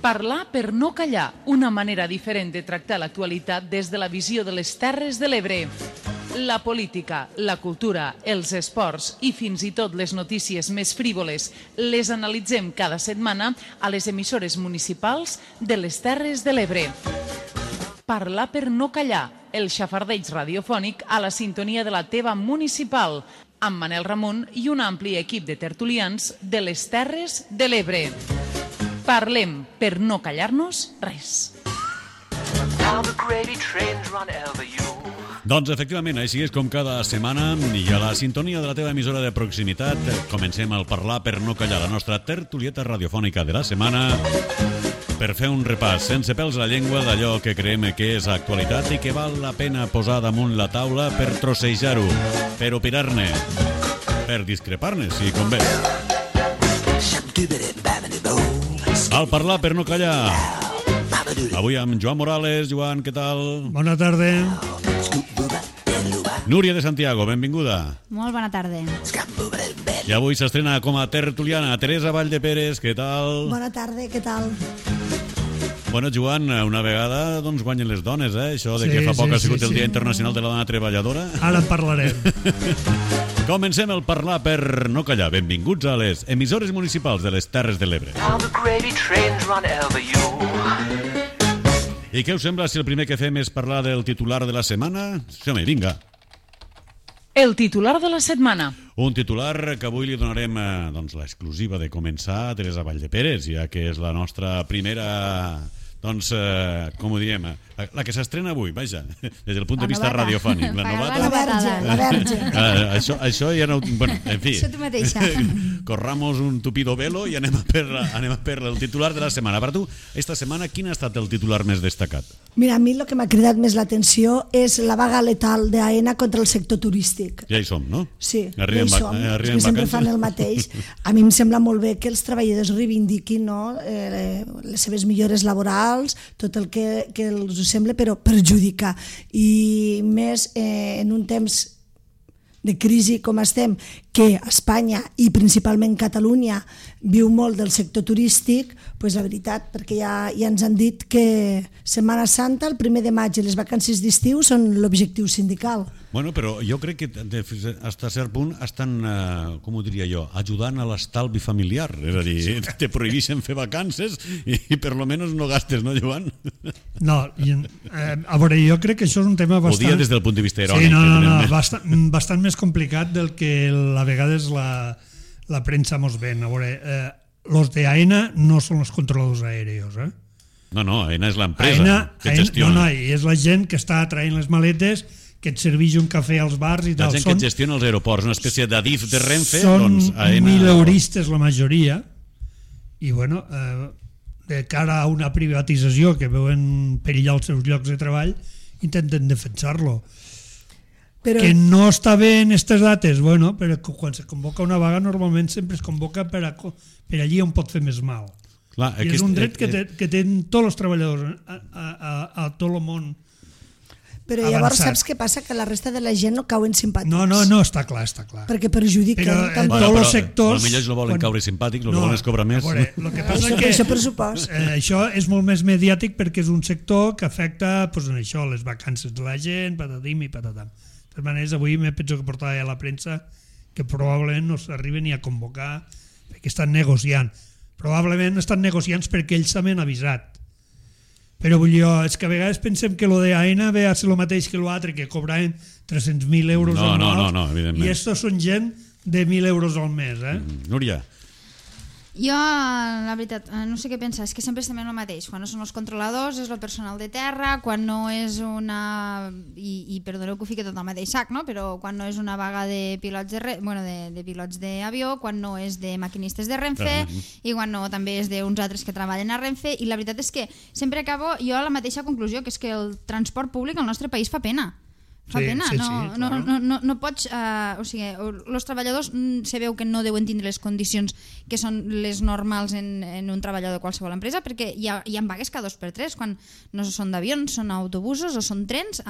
Parlar per no callar, una manera diferent de tractar l'actualitat des de la visió de les Terres de l'Ebre. La política, la cultura, els esports i fins i tot les notícies més frívoles les analitzem cada setmana a les emissores municipals de les Terres de l'Ebre. Parlar per no callar, el xafardeig radiofònic a la sintonia de la teva municipal, amb Manel Ramon i un ampli equip de tertulians de les Terres de l'Ebre. Parlem per no callar-nos res. Doncs efectivament, així és com cada setmana i a la sintonia de la teva emissora de proximitat comencem el Parlar per no callar, la nostra tertulieta radiofònica de la setmana, per fer un repàs sense pèls a la llengua d'allò que creiem que és actualitat i que val la pena posar damunt la taula per trossejar-ho, per opinar-ne, per discrepar-ne, si convé. Al Parlar per no callar, avui amb Joan Morales. Joan, què tal? Bona tarda. Núria de Santiago, benvinguda. Molt bona tarda. I avui s'estrena com a tertuliana Teresa Valldeperes, què tal? Bona tarda, què tal? Bueno, Joan, una vegada doncs guanyen les dones, Això de que fa poc ha sigut el Dia Internacional de la Dona Treballadora. Ara en parlarem. Comencem el Parlar per no callar. Benvinguts a les emissores municipals de les Terres de l'Ebre. I què us sembla si el primer que fem és parlar del titular de la setmana? Home, vinga. El titular de la setmana. Un titular que avui li donarem l'exclusiva de començar a Teresa Valldeperes, ja que és la nostra primera... Doncs, com ho diem, la que s'estrena avui, vaja, des del punt de vista radiofònic. La novata. La verge. Això ja no... Bueno, en fi. Això tu mateixa. Corramos un tupido velo i anem a per el titular de la setmana. Per tu, esta setmana, quin ha estat el titular més destacat? Mira, a mi el que m'ha cridat més l'atenció és la vaga letal d'AENA contra el sector turístic. Ja hi som, no? Sí, arribem ja hi som. És que sempre fan el mateix. A mi em sembla molt bé que els treballadors reivindiquin les seves millores laborals, tot el que els ho sembla, però perjudicar. I més en un temps de crisi com estem, que Espanya i principalment Catalunya viu molt del sector turístic, doncs la veritat, perquè ja ens han dit que Setmana Santa, el 1 de maig i les vacances d'estiu són l'objectiu sindical. Bueno, però jo crec que fins a cert punt estan, com ho diria jo, ajudant a l'estalvi familiar. És a dir, te prohibeixen fer vacances i per lo menos no gastes, no, Joan? No, a veure, jo crec que això és un tema bastant... Ho dia des del punt de vista irònic. Sí, no, bastant més complicat del que a vegades la premsa mos ven. A veure, los de AENA no són els controladors aèreos, No, AENA és l'empresa que gestiona. No, és la gent que està traient les maletes, que et serveix un cafè als bars i tal. La gent que gestiona els aeroports, una espècie d'Adif de Renfe, són AENA... mileuristes la majoria, i bueno, de cara a una privatització que veuen perillar els seus llocs de treball, intenten defensar-lo. Però... Que no està bé en aquestes dates, bueno, però quan se convoca una vaga normalment sempre es convoca per allí on pot fer més mal. Clar, i és un dret que tenen tots els treballadors a tot el món. Però llavors saps què passa? Que la resta de la gent no cauen simpàtics. No, està clar. Perquè perjudiquen tant tots els sectors... Potser ells no volen caure simpàtics, el que volen és cobrar més. El que passa és que això és molt més mediàtic perquè és un sector que afecta les vacances de la gent, patatim i patatam. De totes maneres, avui me penso que portava a la premsa que probablement no s'arriben ni a convocar perquè estan negociant. Probablement estan negociant perquè ells també han avisat. Però vull dir, és que a vegades pensem que lo de AENA ve a ser el mateix que l'altre, que cobraven 300.000 euros anuals. No, evidentment. I estos són gent de 1.000 euros al mes. Núria. Jo, la veritat, no sé què pensar, és que sempre estem en el mateix. Quan no són els controladors és el personal de terra, quan no és una... I perdoneu que ho fiqui tot al mateix sac, no? Però quan no és una vaga de pilots de pilots d'avió, quan no és de maquinistes de Renfe i quan no també és d'uns altres que treballen a Renfe, i la veritat és que sempre acabo jo a la mateixa conclusió, que és que el transport públic al nostre país fa pena. Fa pena, no pots... O sigui, els treballadors se veu que no deuen tindre les condicions que són les normals en un treballador de qualsevol empresa, perquè hi ha vagues cada 2 per 3, quan no són d'avions, són autobusos o són trens,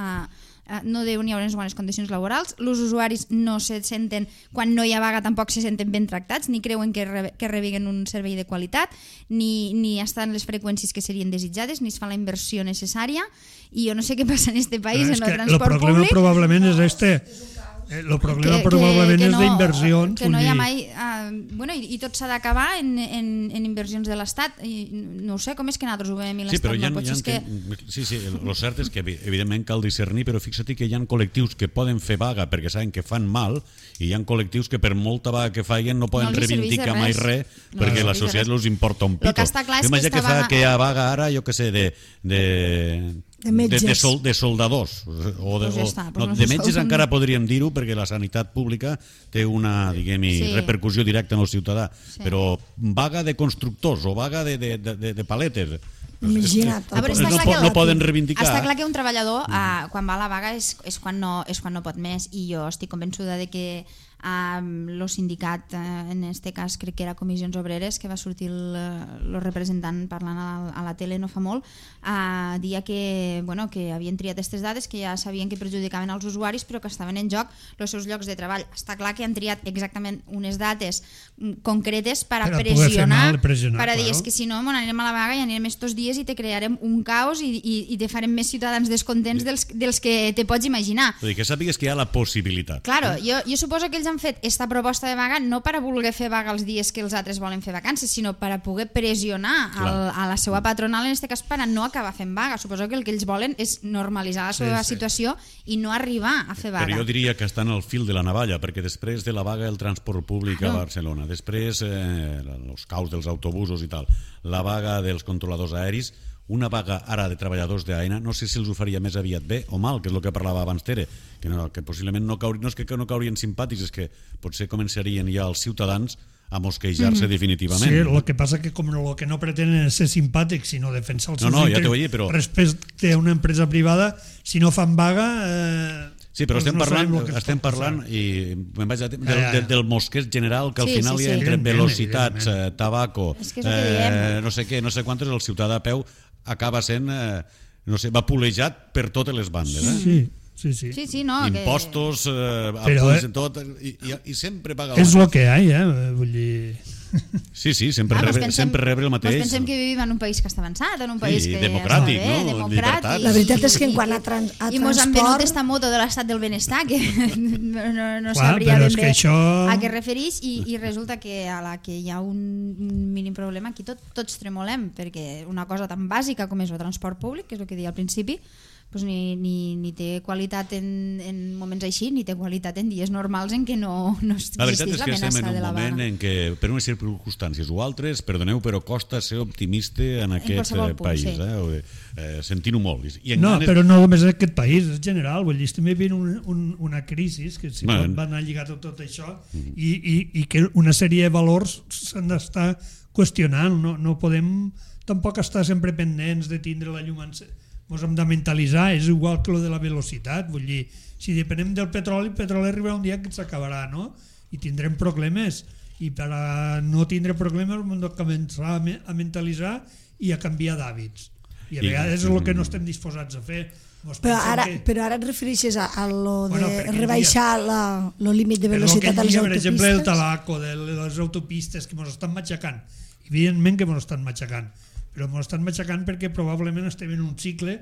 no deuen hi haver unes bones condicions laborals, els usuaris no se senten, quan no hi ha vaga tampoc se senten ben tractats, ni creuen que rebeguen un servei de qualitat, ni estan les freqüències que serien desitjades, ni es fa la inversió necessària, i jo no sé què passa en este país, en el transport públic. El problema probablement és el problema probablement és d'inversions. Que no hi ha mai... I tot s'ha d'acabar en inversions de l'Estat. No ho sé, com és que nosaltres ho veiem i l'Estat no pot ser Sí, el cert és que evidentment cal discernir, però fixa't que hi ha col·lectius que poden fer vaga perquè saben que fan mal, i hi ha col·lectius que per molta vaga que facin no poden reivindicar mai res perquè la societat els importa un pito. Imagina que hi ha vaga ara, jo què sé, de soldadors de metges encara podríem dir-ho perquè la sanitat pública té una repercussió directa en el ciutadà, però vaga de constructors o vaga de paletes no poden reivindicar. Està clar que un treballador quan va a la vaga és quan no pot més, i jo estic convençuda de que el sindicat, en este cas crec que era Comissions Obreres, que va sortir el representant parlant a la tele no fa molt, dia que havien triat aquestes dades, que ja sabien que perjudicaven els usuaris però que estaven en joc els seus llocs de treball. Està clar que han triat exactament unes dates concretes per a pressionar, per a dir que si no anirem a la vaga i anirem estos dies i te crearem un caos i te farem més ciutadans descontents dels que te pots imaginar. Vull dir, que sàpigues que hi ha la possibilitat. Claro, jo suposo que ells han fet esta proposta de vaga no per a voler fer vaga els dies que els altres volen fer vacances, sinó per a poder pressionar a la seva patronal, en aquest cas per a no acabar fent vaga. Suposo que el que ells volen és normalitzar la seva situació i no arribar a fer vaga. Però jo diria que estan al fil de la navalla, perquè després de la vaga del transport públic a Barcelona, després els caos dels autobusos i tal, la vaga dels controladors aeris, una vaga ara de treballadors d'AENA, no sé si els ho faria més aviat bé o mal, que és el que parlava abans Tere, que possiblement no és que no caurien simpàtics, és que potser començarien ja els ciutadans a mosquejar-se definitivament. Sí, el que passa que com el que no pretenen és ser simpàtics, sinó defensar els seus interessos respecte a una empresa privada, si no fan vaga... Sí, però estem parlant i me'n vaig del mosqueig general, que al final hi ha entre velocitats, tabaco, no sé què, no sé quantes, el ciutadà a peu acaba sent, vapulejat per totes les bandes. Sí, impostos, tot, i sempre paga és el que hi ha, vull dir... Sí, sempre rebre el mateix. Pensem que vivim en un país que està avançat, en un país que democràtic, no? Llibertat. La veritat és que en quant a transport... I mos han venut esta moto de l'estat del benestar, que no sabria ben bé a què refereix, i resulta que a la que hi ha un mínim problema aquí tots tremolem, perquè una cosa tan bàsica com és el transport públic, que és el que deia al principi, pues ni té qualitat en moments així, ni té qualitat en dies normals en què no existís l'amenaça de la vaga. La veritat és que estem en un moment en què, per unes circumstàncies o altres, perdoneu, però costa ser optimista en aquest país. Sentint-ho molt. Però no només en aquest país, és general. Vull dir, estem vivint una crisi que si va anar lligat a tot això i que una sèrie de valors s'han d'estar qüestionant. No podem tampoc estar sempre pendents de tindre la llum encesa. Ens hem de mentalitzar, és igual que lo de la velocitat, vull dir, si depenem del petroli, el petroli arribarà un dia que s'acabarà, no? I tindrem problemes, i per a no tindre problemes hem de començar a mentalitzar i a canviar d'hàbits, i a vegades és el que no estem disposats a fer. Però ara et refereixes a lo de rebaixar el límit de velocitat a les autopistes? Per exemple, el tabaco de les autopistes que ens estan matxacant, evidentment que ens estan matxacant, però ens estan matxacant perquè probablement estem en un cicle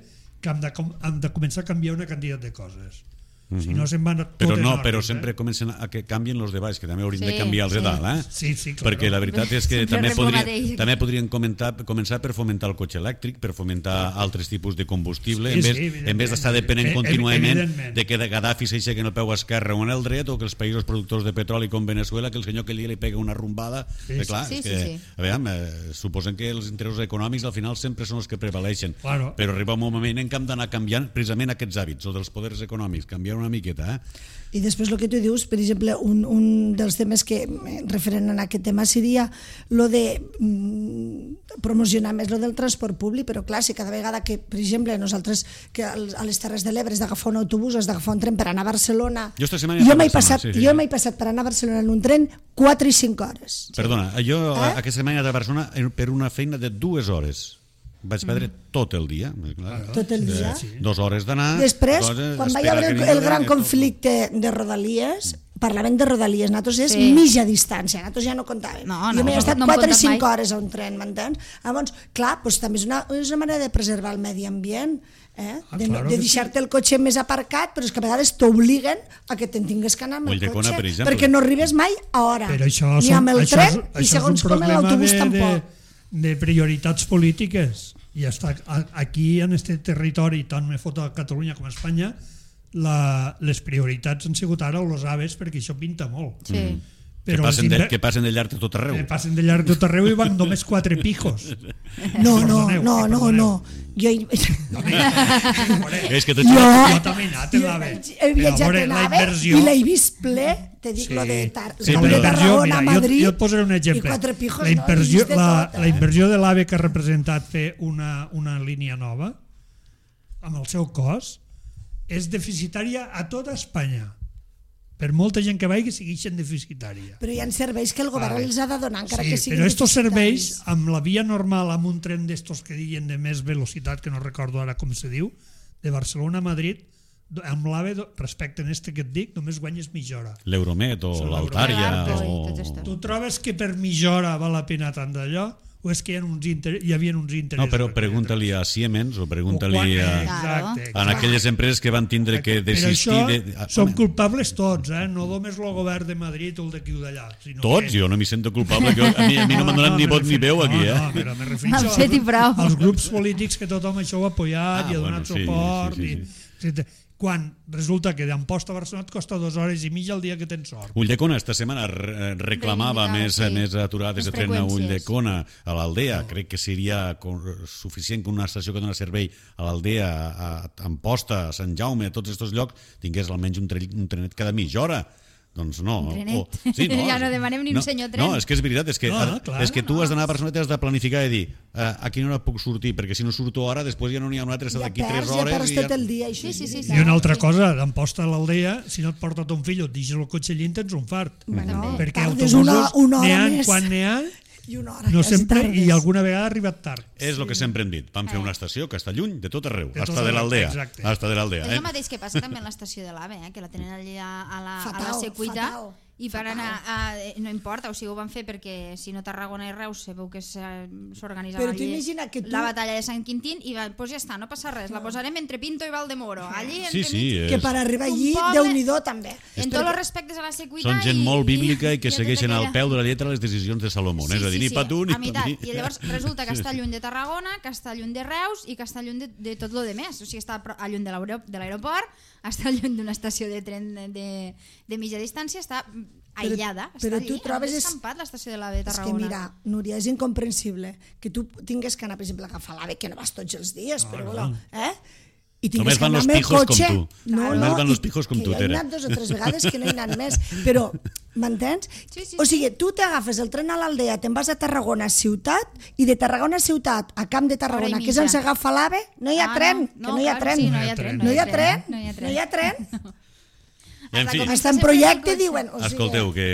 que hem de començar a canviar una quantitat de coses. Si no se'n van tot en ordre. Però sempre comencen a que canvien els de baix, que també haurien de canviar els de dalt, Sí, clar. Perquè la veritat és que també podrien començar per fomentar el cotxe elèctric, per fomentar altres tipus de combustible, en vez d'estar depenent contínuament de que Gaddafi s'aixequi en el peu esquerre o en el dret, o que els països productors de petroli com Venezuela, que el senyor que li pega una rombada. Clar, suposen que els interessos econòmics al final sempre són els que prevaleixen, però arriba un moment en què hem d'anar canviant precisament aquests hàbits, o dels poders econòmics, canviar una miqueta. I després el que tu dius, per exemple, un dels temes que referent a aquest tema seria lo de promocionar més lo del transport públic, però clar, si cada vegada que, per exemple, nosaltres que a les Terres de l'Ebre has d'agafar un autobús, has d'agafar un tren per anar a Barcelona, jo m'he passat per anar a Barcelona en un tren 4 i 5 hores. Perdona, jo aquesta setmana de Barcelona per una feina de 2 hores. Vaig perdre tot el dia. Tot el dia? 2 hores d'anar... Després, quan va haver el gran conflicte de Rodalies, parlaven de Rodalies, nosaltres és mitja distància, nosaltres ja no comptàvem. Jo m'he estat 4 i 5 hores a un tren, m'entens? Llavors, clar, també és una manera de preservar el medi ambient, de deixar-te el cotxe més aparcat, però és que a vegades t'obliguen a que te'n tingues que anar amb el cotxe, perquè no arribes mai a hora, ni amb el tren, i segons com l'autobús tampoc. De prioritats polítiques, i aquí en aquest territori, tant me fot a Catalunya com a Espanya, les prioritats han sigut ara els aves, perquè això pinta molt. Sí. Que passen de llarg de tot arreu. Que passen de llarg de tot arreu i van només 4 pijos. No. És que jo també he anat en l'AVE. He viatjat en l'AVE i l'he vist ple, te dic lo de Tarragona a Madrid, jo et posaré un exemple. I 4 pijos, la inversió de l'AVE que ha representat fer una línia nova amb el seu cost és deficitària a tota Espanya. Per molta gent que vagi segueixen deficitària. Però hi ha serveis que el govern els ha de donar, encara que siguin deficitaris. Però estos serveis, amb la via normal, amb un tren d'estos que diuen de més velocitat, que no recordo ara com se diu, de Barcelona a Madrid, amb l'AVE, respecte a este que et dic, només guanyes mitja hora. L'Euromet o l'Altària. Tu trobes que per mitja hora val la pena tant d'allò? O és que hi havia uns interessos? No, però pregunta-li a Siemens o pregunta-li a aquelles empreses que van tindre que desistir... Per això som culpables tots, no només el govern de Madrid o el d'aquí o d'allà. Tots? Jo no m'hi sento culpable, a mi no m'han donat ni vot ni veu aquí. No, però me refereixo als grups polítics que tothom això ho ha apoyat i ha donat suport. Quan resulta que d'Amposta a Barcelona et costa 2 hores i mitja al dia que tens sort. Ulldecona esta setmana reclamava més aturades de tren a Ulldecona, a l'Aldea. Crec que seria suficient que una estació que dona servei a l'Aldea, a Amposta, a Sant Jaume, a tots aquests llocs, tingués almenys un trenet cada mitja hora. Doncs no. Un trenet. Ja no demanem ni un senyor tren. No, és que és veritat, és que tu has d'anar a Barcelona i has de planificar i dir a quina hora puc sortir, perquè si no surto ara, després ja no n'hi ha una altra, d'aquí 3 hores. Ja perds tot el dia. I una altra cosa, d'Amposta a l'Aldea, si no et porta ton fill o et deixes el cotxe allí, tens un fart. Perquè autobusos n'hi ha quan n'hi ha, no sempre, i alguna vegada ha arribat tard. És el que sempre hem dit. Van fer una estació que està lluny de tot arreu, hasta de l'Aldea. És el mateix que passa també en l'estació de l'AVE, que la tenen allà a la Secuita, i per anar, no importa, o sigui, ho van fer perquè si no Tarragona i Reus sabeu que s'organitzava allí la batalla de Sant Quintín i doncs ja està, no passa res, la posarem entre Pinto i Valdemoro, allí entremig. Que per arribar allí, Déu-n'hi-do també. En tots els respectes a la Secuita. Són gent molt bíblica i que segueixen al peu de la lletra les decisions de Salomó, és a dir, ni pa tu ni pa mi. I llavors resulta que està lluny de Tarragona, que està lluny de Reus i que està lluny de tot lo demés, o sigui, està lluny de l'aeroport, està lluny d'una estació de tren de mitja distància, està aïllada, està allí, és escampat l'estació de l'AVE de Tarragona. És que mira, Núria, és incomprensible que tu tingues que anar, per exemple, a agafar l'AVE, que no vas tots els dies, però i només van los pijos com tu. Només van los pijos com tu, Tere. Que he anat 2 o 3 vegades, que no he anat més, però, m'entens? O sigui, tu t'agafes el tren a l'Aldea, te'n vas a Tarragona ciutat, i de Tarragona ciutat a Camp de Tarragona, que és on s'agafa l'AVE, no hi ha tren, que no hi ha tren. No hi ha tren, no hi ha tren. En fi, està en projecte, diuen. Escolteu, que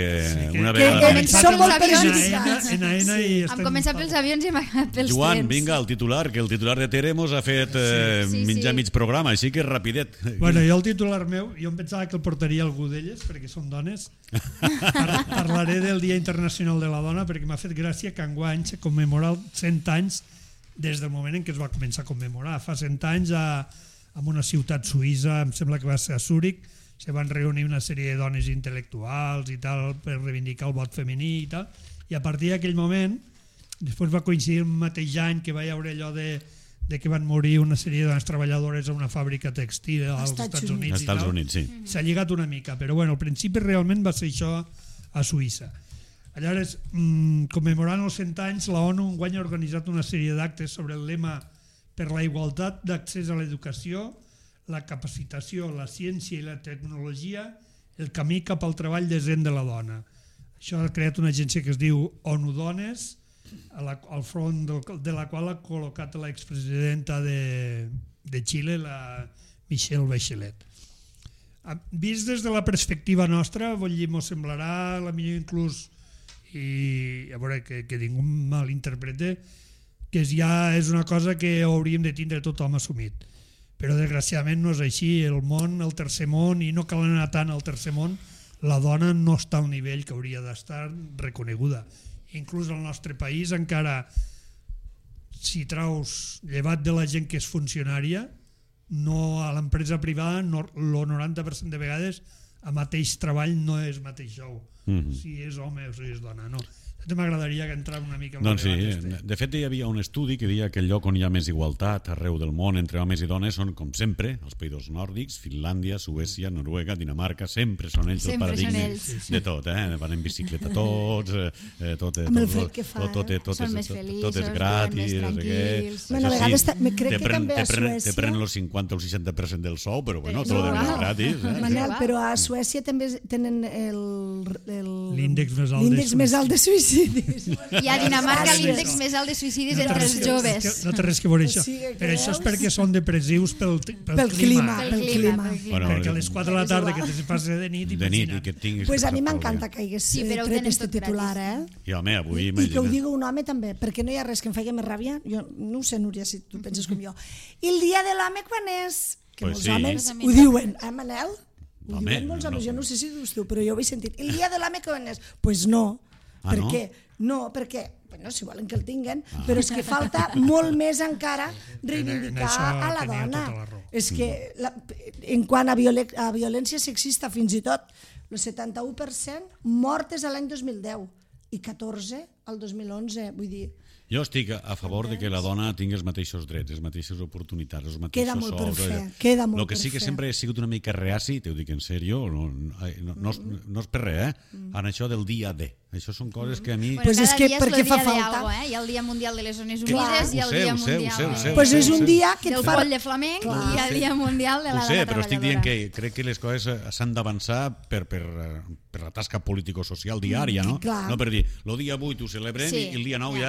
una vegada... Som molt perjudicats. Hem començat pels avions i hem acabat pels trens. Joan, vinga, el titular, que el titular de Tere mos ha fet mig programa, així que rapidet. Bueno, jo el titular meu, jo em pensava que el portaria algú d'elles, perquè són dones. Parlaré del Dia Internacional de la Dona, perquè m'ha fet gràcia que enguany se commemora 100 anys des del moment en què es va començar a commemorar. Fa 100 anys en una ciutat suïssa, em sembla que va ser a Zúrich, se van reunir una sèrie de dones intel·lectuals i tal per reivindicar el vot femení i tal, i a partir d'aquell moment després va coincidir el mateix any que va hi haure allò de que van morir una sèrie de dones treballadores a una fàbrica textil als Estats Units i tal. S'ha lligat una mica, però bueno, al principi realment va ser això a Suïssa. Aleshores, commemorant els 100 anys, la ONU enguany ha organitzat una sèrie d'actes sobre el lema per la igualtat d'accés a l'educació, la capacitació, la ciència i la tecnologia, el camí cap al treball decent de la dona. Això ha creat una agència que es diu ONU Dones al front de la qual ha col·locat l'expresidenta de Xile, la Michelle Bachelet. Vist des de la perspectiva nostra, vull dir, mos semblarà la millor inclús, i a veure que ningú malinterprete, que ja és una cosa que hauríem de tindre tothom assumit. Però desgraciadament no és així. El món, el tercer món, i no cal anar tant al tercer món, la dona no està al nivell que hauria d'estar reconeguda. Inclús al nostre país encara, si traus, llevat de la gent que és funcionària, no, a l'empresa privada el 90% de vegades a mateix treball no és mateix sou, si és home o si és dona, no. M'agradaria que entrar una mica en el debat. De fet, hi havia un estudi que deia que el lloc on hi ha més igualtat arreu del món entre homes i dones són, com sempre, els països nòrdics, Finlàndia, Suècia, Noruega, Dinamarca, sempre són ells els paradigmes de tot, van en bicicleta tots, amb el fred que fa, tot és gratis, bueno, a vegades crec que també a Suècia te prenen el 50 o el 60% del sou, però bueno, tot és gratis. Manel, però a Suècia també tenen l'índex més alt de suïcidis. I a Dinamarca l'índex més alt de suïcidis entre els joves. No té res que veure això. Però això és perquè són depressius pel clima. Perquè a les 4 de la tarda que te passa de nit imagina't. Pues a mi m'encanta que hagués tret este titular, I home, avui i que ho digui un home també, perquè no hi ha res que em faci més ràbia. Jo no ho sé, Núria, si tu penses com jo. I el dia de l'home quan és? Que molts homes ho diuen, Manel? Ho diuen molts homes, jo no sé si ho dius tu, però jo ho he sentit. El dia de l'home quan és? Pues no. Per què? No, perquè, bueno, si volen que el tinguen, però és que falta molt més encara reivindicar a la dona. És que en quant a violència sexista, fins i tot el 71% mortes a l'any 2010 i 14 al 2011, vull dir... Jo estic a favor de que la dona tingui els mateixos drets, les mateixes oportunitats, els mateixos queda molt per sous. fer, queda molt per fer. El que sí que sempre he sigut una mica reaci, t'ho dic en sèrio, no és per res, en això del dia D. Això són coses que a mi... Pues és que perquè fa falta. Hi ha el Dia Mundial de les Zones Humides, hi ha el Dia Mundial pues és un dia que del coll de flamenc i hi ha el Dia Mundial de la dona treballadora. Però estic dient que crec que les coses s'han d'avançar per la tasca político-social diària, no? No per dir, el dia 8 ho celebrem i el dia 9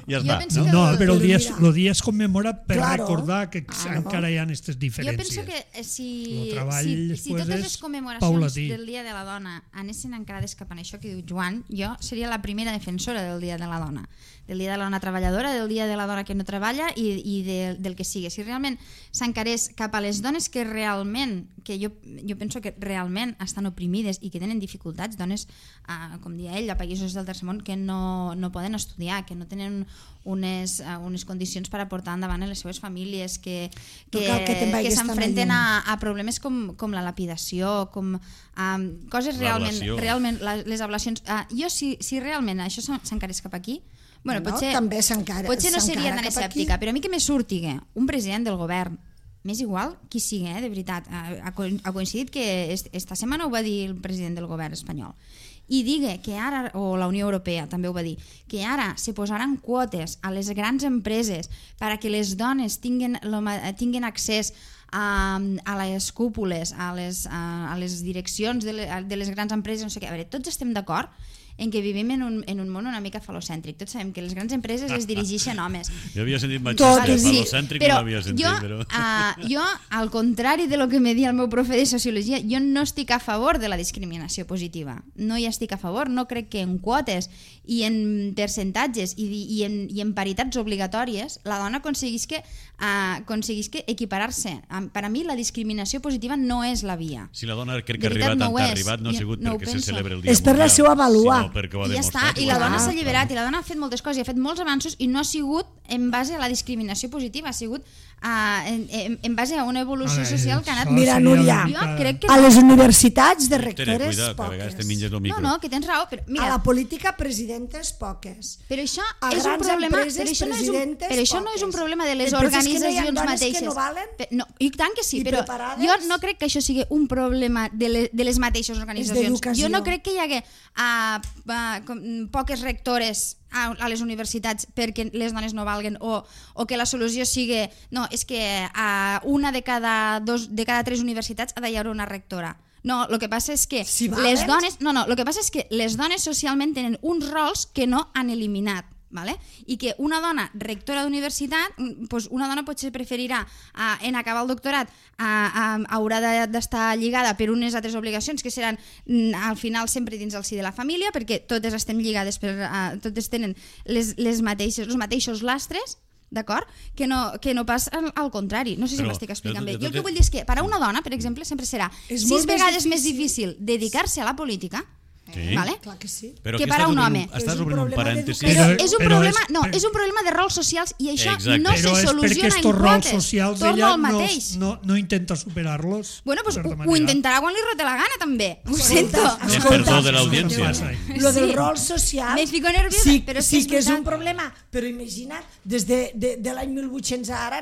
ja està. No, però el dia es commemora per recordar que encara hi ha aquestes diferències. Jo penso que si totes les commemoracions del Dia de la Dona anessin encarades cap a això que diu Joan, jo seria la primera defensora del Dia de la Dona, del Dia de la Dona treballadora, del Dia de la Dona que no treballa i del que sigui. Si realment s'encarés cap a les dones que realment, que jo penso que realment estan oprimides i que tenen dificultats, dones, com deia ell, a països del tercer món que no poden estudiar, que no tenen unes condicions per a portar endavant les seves famílies, que s'enfrenten a problemes com la lapidació, com coses realment les ablacions. Jo, si realment això s'encarés cap aquí, bueno, potser no seria tan escèptica, però a mi que me surtiga un president del govern, m'és igual qui sigui, de veritat, ha coincidit que esta setmana ho va dir el president del govern espanyol, i digue que ara, o la Unió Europea també ho va dir, que ara se posaran quotes a les grans empreses perquè les dones tinguin accés a les cúpules, a les direccions de les grans empreses, no sé què. A veure, tots estem d'acord en que vivim en un món una mica falocèntric. Tots sabem que les grans empreses les dirigeixen homes. Jo havia sentit machista, falocèntric no l'havia sentit. Jo, al contrari de lo que me dia el meu profe de Sociologia, jo no estic a favor de la discriminació positiva. No hi estic a favor. No crec que en quotes i en percentatges i en paritats obligatòries la dona aconseguisca equiparar-se. Per a mi la discriminació positiva no és la via. Si la dona crec que ha arribat no ha sigut perquè se celebra el dia mundial. És per la seva vàlua. I ja està, i la dona s'ha alliberat i la dona ha fet moltes coses i ha fet molts avanços i no ha sigut en base a la discriminació positiva, ha sigut en base a una evolució social que ha anat... Mira, Núria, a les universitats de rectores poques. No, que tens raó. A la política presidentes poques. Però això és un problema, però això no és un problema de les organitzacions mateixes. I tant que sí, però jo no crec que això sigui un problema de les mateixes organitzacions. Jo no crec que hi hagi poques rectores a les universitats perquè les dones no valguen o que la solució sigui no, és que a una de cada 3 universitats ha d'hi haver una rectora. No, el que passa és que Si les valen? dones... No, el que passa és que les dones socialment tenen uns rols que no han eliminat. Vale? I que una dona rectora d'universitat, doncs una dona potser preferirà en acabar el doctorat haurà d'estar lligada per unes altres obligacions que seran al final sempre dins el si de la família, perquè totes estem lligades totes tenen els mateixos lastres, d'acord? Que no pas al contrari. No sé si m'estic explicant bé. Jo el que vull dir és que per a una dona, per exemple, sempre serà 6 vegades més difícil dedicar-se a la política, vale? Clar que sí. Però que aquí per a un home. Estàs obrint un parèntesi. Però és un Però problema de rols socials i això Exacte. no se Però és perquè soluciona en estos rols quotes. socials Torno ella al mateix. no intenta superar-los. Bueno, pues de certa ho manera. intentarà quan li rote la gana, també. Ho sento. És perdó de l'audiència. Lo del Sí. rol social Me fico nerviosa, sí, però és sí que que és és un veritat. problema, però imagina't, des de l'any 1800 a ara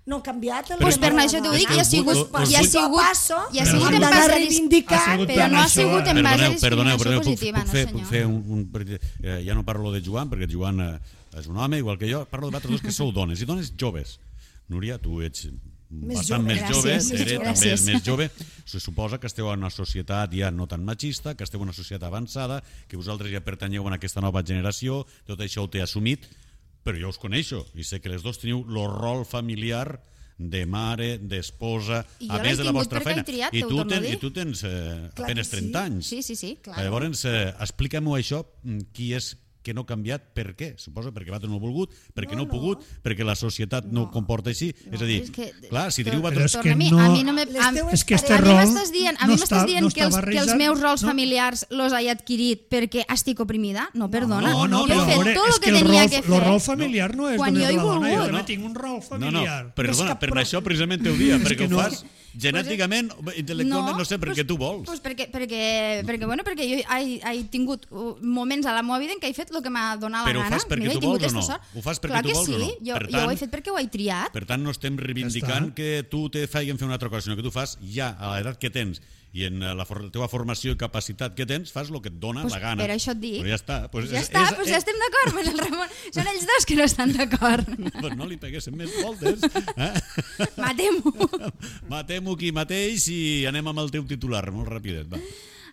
no ha canviat el Pues tema per de això la t'ho dona. dic, ja ha sigut passo en d'anar base a reivindicar, però no ha sigut en base a Perdoneu, discriminació positiva, no puc fer senyor. ja no parlo de Joan, perquè Joan és un home, igual que jo, parlo de vosaltres dos que sou dones, i dones joves. Núria, tu ets bastant jove. més jove, Gràcies. Tere també és Gràcies. més jove. Se suposa que esteu en una societat ja no tan machista, que esteu en una societat avançada, que vosaltres ja pertanyeu a aquesta nova generació, tot això ho té assumit, però jo us coneixo i sé que les dos teniu el rol familiar de mare, d'esposa, I jo a l'he més de la tingut vostra perquè feina. he triat, I t'ho torno a dir. tu tens Clar apenas que 30 anys. Sí, clar. Llavors, explica-m'ho això, qui és que no ha canviat, per què? Suposo perquè vosaltres no heu volgut, perquè no heu pogut, perquè la societat no ho comporta així. És a dir, clar, si teniu Però vosaltres... és que A mi no me... És que este A mi rol m'estàs dient, no que els barrejat, meus rols no. familiars los he adquirit perquè estic oprimida? No, perdona. No, jo he fet veure, tot és el que tenia que fer. el rol familiar no és Quan només jo he de la dona, jo volgut. també tinc un rol familiar. Perdona, per això precisament ho dia, perquè que ho no. fas genèticament, intel·lectualment, no sé, perquè tu vols. Pues perquè jo he tingut moments a la meva vida en què he fet el que m'ha donat la Però ho gana. fas perquè Mira, he tu tingut vols o no? esta sort. Ho fas perquè Clar tu que vols o sí, no? jo Per ho tant- he fet perquè ho he triat. Per tant, no estem reivindicant que tu te facin fer una altra cosa, sinó que tu fas ja, a l'edat que tens i en la teva formació i capacitat que tens, fas el que et dona Pues la gana. per això et dic. Però ja està. Pues Ja estem d'acord, pues el Ramon. Són ells dos que no estan d'acord. Pues no li peguéssim més voltes. Matem-ho. Matem-ho aquí mateix i anem amb el teu titular, molt rapidet, va.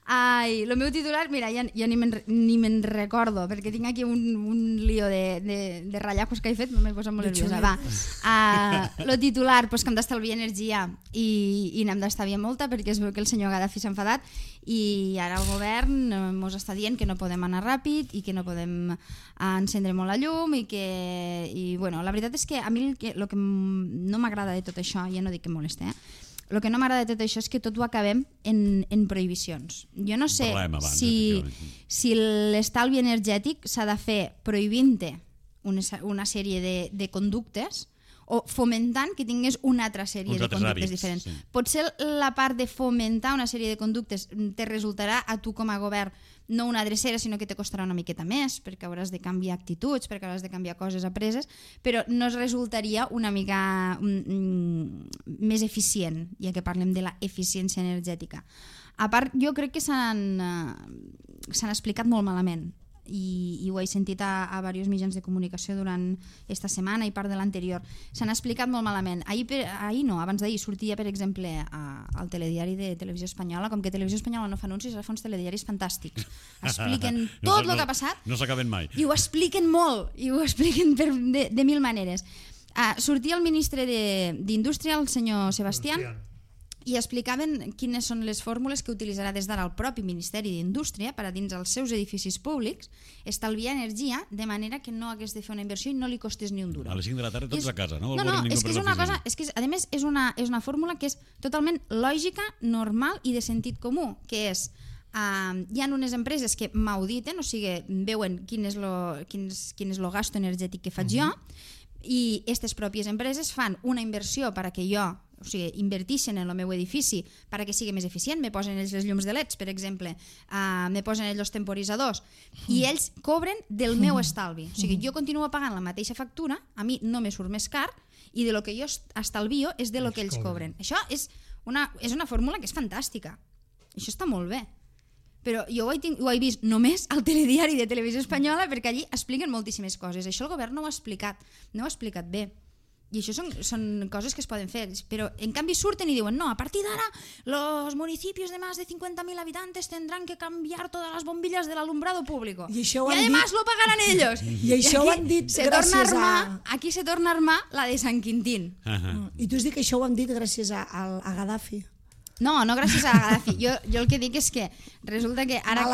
Ai, el meu titular, mira, ja ni me'n recordo, perquè tinc aquí un lío de ratllacos que he fet, m'he posat molt nerviosa. Va, el titular, pues, que hem d'estalviar energia i n'hem d'estalviar molta, perquè es veu que el senyor Gaddafi s'ha enfadat i ara el govern ens està dient que no podem anar ràpid i que no podem encendre molt la llum i bueno, la veritat és que a mi el que no m'agrada de tot això, ja no dic que molesta, el que no m'agrada de tot això és que tot ho acabem en prohibicions. Jo no sé si l'estalvi energètic s'ha de fer prohibint-te una sèrie de conductes o fomentant que tingués una altra sèrie de conductes diferents. Sí. Potser la part de fomentar una sèrie de conductes te resultarà a tu com a govern no una drecera, sinó que te costarà una miqueta més, perquè hauràs de canviar actituds, perquè hauràs de canviar coses apreses, però no es resultaria una mica més eficient, ja que parlem de la eficiència energètica. A part, jo crec que s'han explicat molt malament, i ho he sentit a diversos mitjans de comunicació durant esta setmana i part de l'anterior. S'han explicat molt malament. Ahir no, abans d'ahir sortia, per exemple, al telediari de Televisió Espanyola, com que Televisió Espanyola no fa anuncis, ara fa uns telediaris fantàstics. Expliquen tot el que ha passat. No s'acaben mai. I ho expliquen molt, i ho expliquen de mil maneres. Sortia el ministre d'Indústria, el senyor Sebastián, i explicaven quines són les fórmules que utilitzarà des d'ara el propi Ministeri d'Indústria per a dins els seus edificis públics estalviar energia de manera que no hagués de fer una inversió i no li costés ni un duro. A les 5 de la tarda tots a casa, no? No, és que és una cosa, a més és una fórmula que és totalment lògica, normal i de sentit comú, que és hi ha unes empreses que m'auditen, o sigui, veuen quin és el gasto energètic que faig jo, i aquestes pròpies empreses fan una inversió perquè jo, o sigui, invertixen en el meu edifici perquè sigui més eficient, me posen ells les llums de LEDs, per exemple, me posen ells els temporitzadors, i ells cobren del meu estalvi. O sigui, jo continuo pagant la mateixa factura, a mi no me surt més car, i de lo que jo estalvio és de lo que ells cobren. Això és una fórmula que és fantàstica. Això està molt bé. Però jo ho he vist només al telediari de Televisió Espanyola perquè allí expliquen moltíssimes coses. Això el govern no ho ha explicat bé. I això són coses que es poden fer, però en canvi surten i diuen no, a partir d'ara los municipios de más de 50.000 habitantes tendrán que cambiar todas las bombillas del alumbrado público I y además lo pagarán ellos. I això ho han dit gràcies a... Aquí se torna a armar la de San Quintín. I tu has dit que això ho han dit gràcies a Gaddafi. No gràcies a Gaddafi. Jo el que dic és que resulta que ara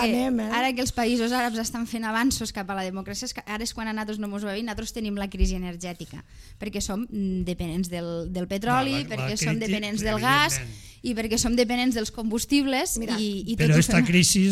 que els països àrabs estan fent avanços cap a la democràcia, ara és quan a nosaltres no ens va bé, nosaltres tenim la crisi energètica, perquè som dependents del petroli, perquè som dependents del gas i perquè som dependents dels combustibles. Però aquesta crisi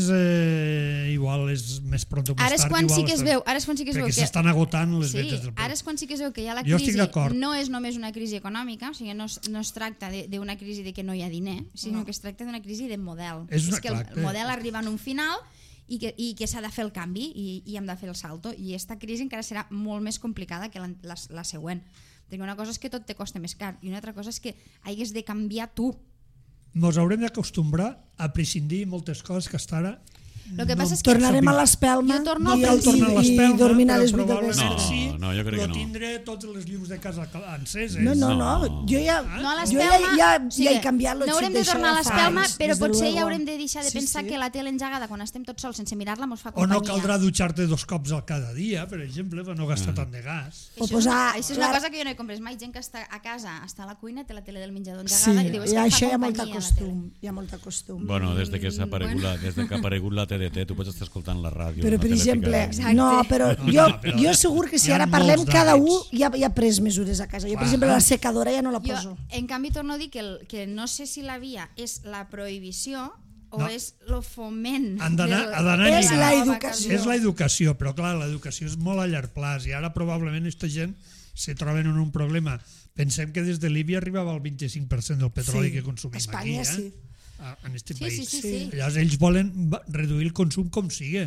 igual és més pront o més tard. Ara és quan sí que es veu perquè s'estan agotant les vetes del ara és quan sí que es veu que ja la crisi no és només una crisi econòmica, o sigui, no es tracta d'una crisi de que no hi ha diner, sinó que es tracta d'una crisi de model. És que el model arriba en un final i que s'ha de fer el canvi i hem de fer el salto, i aquesta crisi encara serà molt més complicada que la següent, perquè una cosa és que tot te costa més car i una altra cosa és que hagués de canviar tu. Ens haurem d'acostumbar a prescindir moltes coses que hasta ara Lo que passa és que tornarem a l'espelma i dormint a les 8 del vespre. No, jo crec que no. Tindré tots els llums de casa enceses. No. Jo ja he canviat no haurem de tornar a l'espelma, però potser ja haurem de deixar de pensar que la tele engegada quan estem tots sols sense mirar-la mos fa companyia. O no caldrà dutxar-te 2 cops al cada dia, per exemple, per no gastar tant de gas. Això és una cosa que jo no he comprès mai. Gent que està a casa, està a la cuina, té la tele del menjador engegada i diu que això fa hi ha molt costum. Bueno, des que ha aparegut la TDT, tu pots estar escoltant la ràdio. Però, per exemple, jo segur que si ara parlem, cada un ja ha pres mesures a casa. Jo, per exemple, la secadora ja no la poso. En canvi, torno a dir que no sé si la via és la prohibició o és el foment. És l'educació. És l'educació, però clar, l'educació és molt a llarg plaç i ara probablement aquesta gent se troben en un problema. Pensem que des de Líbia arribava al 25% del petroli que consumim aquí. Espanya sí. En aquest país. Sí. Llavors ells volen reduir el consum com sigui,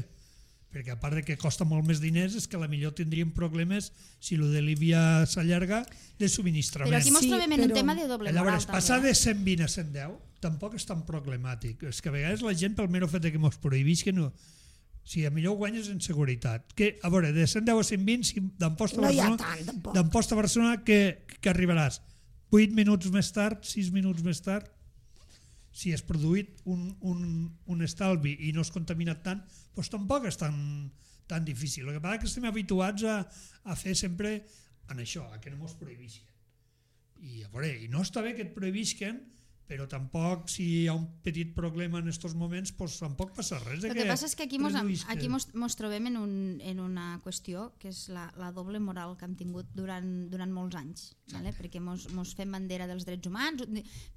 perquè a part de que costa molt més diners és que potser tindríem problemes si el de Líbia s'allarga de subministrament. Però aquí ens trobem en un tema de doble moral. Llavors, passar de 120 a 110 tampoc és tan problemàtic. És que a vegades la gent, pel mero fet que ens prohibisquen, si a millor guanyes en seguretat. Que, a veure, de 110 a 120, si d'Amposta a Barcelona, que arribaràs 8 minuts més tard, 6 minuts més tard, si has produït un estalvi i no has contaminat tant, doncs tampoc és tan difícil. El que passa és que estem habituats a fer sempre en això, a que no ens prohibisquen. I a veure, i no està bé que et prohibisquen, però tampoc, si hi ha un petit problema en aquests moments, doncs tampoc passa res. El que passa és que aquí ens trobem en una qüestió que és la doble moral que hem tingut durant molts anys, perquè ens fem bandera dels drets humans.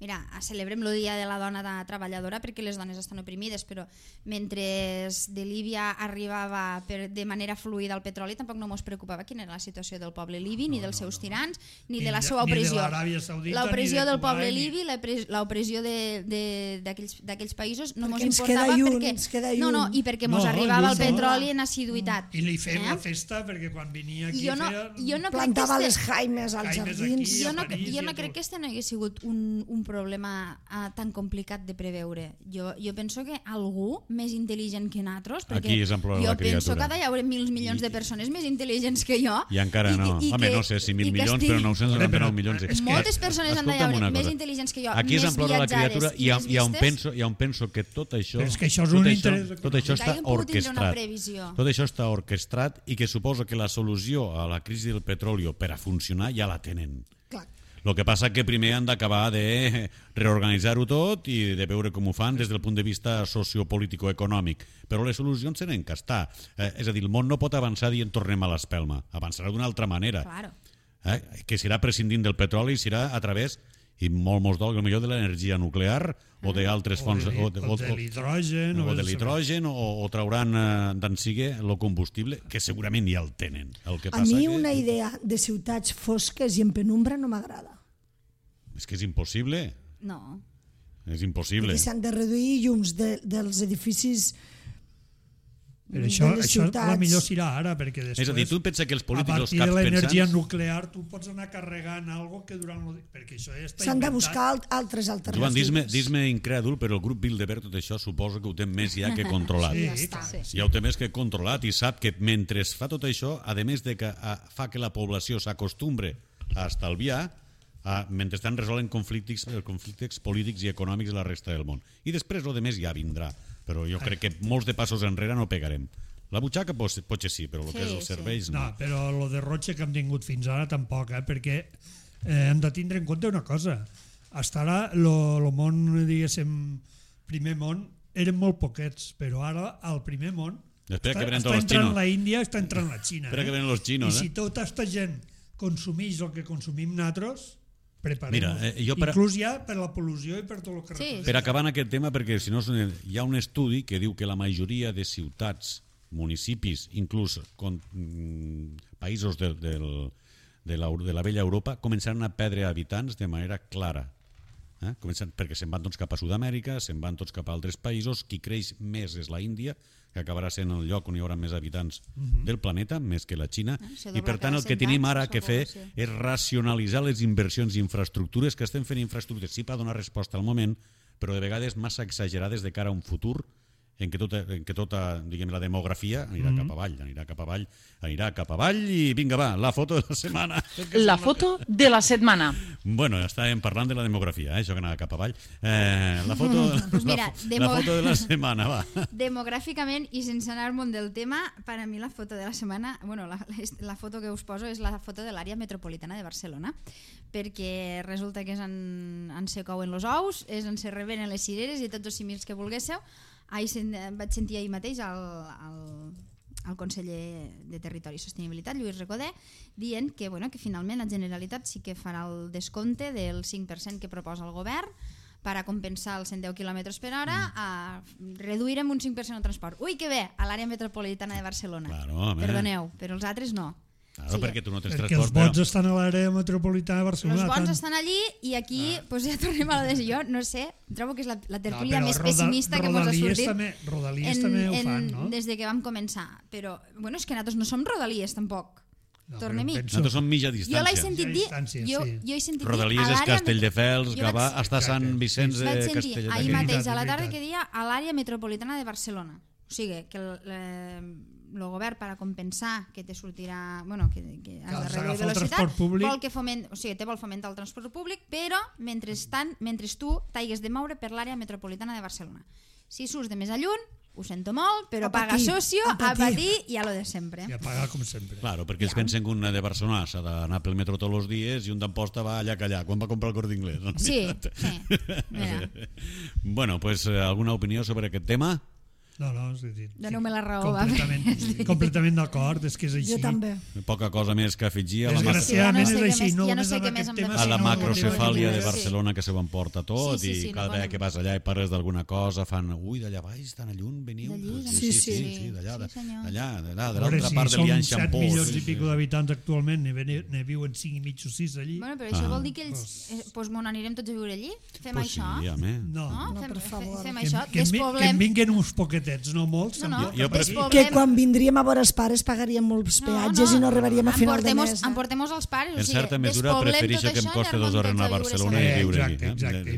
Mira, celebrem el Dia de la Dona Treballadora perquè les dones estan oprimides, però mentre de Líbia arribava de manera fluida el petroli, tampoc no ens preocupava quina era la situació del poble libi, ni dels seus tirans, ni de la seva opressió. L'opressió del poble libi, l'opressió d'aquells països no ens importava i perquè ens arribava el petroli en assiduïtat. I li fem la festa perquè quan venia aquí plantava les jaimes als jardins. Jo no crec que este no hagués sigut un problema tan complicat de preveure. Jo penso que algú més intel·ligent que nosaltres, perquè jo penso que hi haurà milions de persones més intel·ligents que jo. I encara no. Home, no sé si 1.000 milions, però 999 milions. Moltes persones han d'haver més intel·ligents que jo, més viatjades i on penso que tot això està orquestrat. Tot això està orquestrat i que suposa que la solució a la crisi del petroli per a funcionar ja la tenen. El que passa que primer han d'acabar de reorganitzar-ho tot i de veure com ho fan des del punt de vista sociopolítico-econòmic. Però les solucions tenen que estar. És a dir, el món no pot avançar dient tornem a l'espelma. Avançarà d'una altra manera. Que serà prescindint del petroli, serà a través, i molt millor de l'energia nuclear o d'altres fonts o de l'hidrogen o trauran d'en sigue el combustible, que segurament ja el tenen. A mi una idea de ciutats fosques i en penumbra no m'agrada. És que és impossible. No. És impossible. Perquè s'han de reduir llums dels edificis. Però això la millor serà ara, perquè després, és a dir, tu pensa que els polítics, a partir de l'energia nuclear, tu pots anar carregant algo que durant... perquè això ja està s'han de buscar altres alternatives. Joan, dis-me incrèdul, però el grup Bilderberg tot això suposo que ho té més ja que controlat. Ja ho té més que controlat i sap que mentre fa tot això, a més de que fa que la població s'acostumbre a estalviar mentrestant resolen conflictes polítics i econòmics de la resta del món. I després el de més ja vindrà, però jo crec que molts de passos enrere no pegarem. La butxaca potser sí, però el que és els serveis no. No, però el de Roche que hem tingut fins ara tampoc, perquè hem de tindre en compte una cosa. Hasta ara el món, diguéssim, primer món, eren molt poquets, però ara el primer món està entrant la Índia, està entrant la Xina. Espera que venen els xinos. I si tota aquesta gent consumeix el que consumim nosaltres, preparem-nos. Inclús ja per la pol·lució i per tot el que representa. Per acabar en aquest tema, perquè si no hi ha un estudi que diu que la majoria de ciutats, municipis, inclús països de la vella Europa, començaran a perdre habitants de manera clara. Perquè se'n van tots cap a Sud-amèrica, se'n van tots cap a altres països. Qui creix més és la Índia, que acabarà sent el lloc on hi haurà més habitants del planeta, més que la Xina, i per tant el que tenim ara que fer és racionalitzar les inversions i infraestructures, que estem fent infraestructures sí per donar resposta al moment, però de vegades massa exagerades de cara a un futur en què tota diguem, la demografia anirà cap avall i vinga va, la foto de la setmana. La foto de la setmana. Bueno, estàvem parlant de la demografia, això que anava cap avall. La foto de la setmana, va. Demogràficament i sense anar al món del tema, per a mi la foto de la setmana, bueno, la foto que us poso és la foto de l'àrea metropolitana de Barcelona, perquè resulta que és on se couen els ous, és on se revenen les cireres i tots els simils que volguéssiu. Vaig sentir ahir mateix el conseller de Territori i Sostenibilitat, Lluís Recoder, dient que finalment la Generalitat sí que farà el descompte del 5% que proposa el govern per a compensar els 110 km per hora, reduirem un 5% el transport. Ui, que bé, a l'àrea metropolitana de Barcelona. Perdoneu, però els altres no. Claro, perquè tu no tens perquè transport. Els bons estan a l'àrea metropolitana de Barcelona. Els bons estan allí i aquí ja tornem a la decisió. No sé, trobo que és la tertúlia més pessimista que ens ha sortit. Rodalies també ho fan, no? Des que vam començar. Però, bueno, és que nosaltres no som Rodalies, tampoc. Tornem-hi. Nosaltres som mitja distància. Jo l'he sentit dir... Rodalies és Castelldefels, Gavà, hasta Sant Vicenç de Castellet. Vaig sentir ahir mateix a la tarda que dia a l'àrea metropolitana de Barcelona. O sigui, que el govern per a compensar que te sortirà, que has de reduir velocitat, vol fomentar el transport públic, però mentre tu t'hagues de moure per l'àrea metropolitana de Barcelona. Si surts de més a lluny, ho sento molt, però paga socio, a patir i a lo de sempre. I a pagar com sempre. Claro, perquè ells pensen que un de Barcelona s'ha d'anar pel metro tots els dies i un d'Amposta va allà que allà, quan va comprar el Corte Inglés. Sí. Bueno, pues alguna opinió sobre aquest tema? No, doneu-me la raó. Completament d'acord, és que és així. Jo també. Poca cosa més que afegir a Desgraciadament és així. Ja no sé què més hem de fer. A la macrocefàlia de Barcelona que se ho emporta tot i cada vegada que vas allà i parles d'alguna cosa fan, ui, d'allà baix, tan lluny, veniu. Sí, d'allà, de l'altra part de l'Ianxampó. Som 7 milions i pico d'habitants actualment, ne viuen 5 i mig o 6 allí. Bueno, però això vol dir que ells, doncs anirem tots a viure allí? Fem això? No, per favor. Fem això, que en vinguin uns poquets, no molts. Que quan vindríem a veure els pares pagaríem molts peatges i no arribaríem a final de mes. Emportem-nos els pares. En certa mesura prefereixo que em costi 2 hores anar a Barcelona i viure aquí.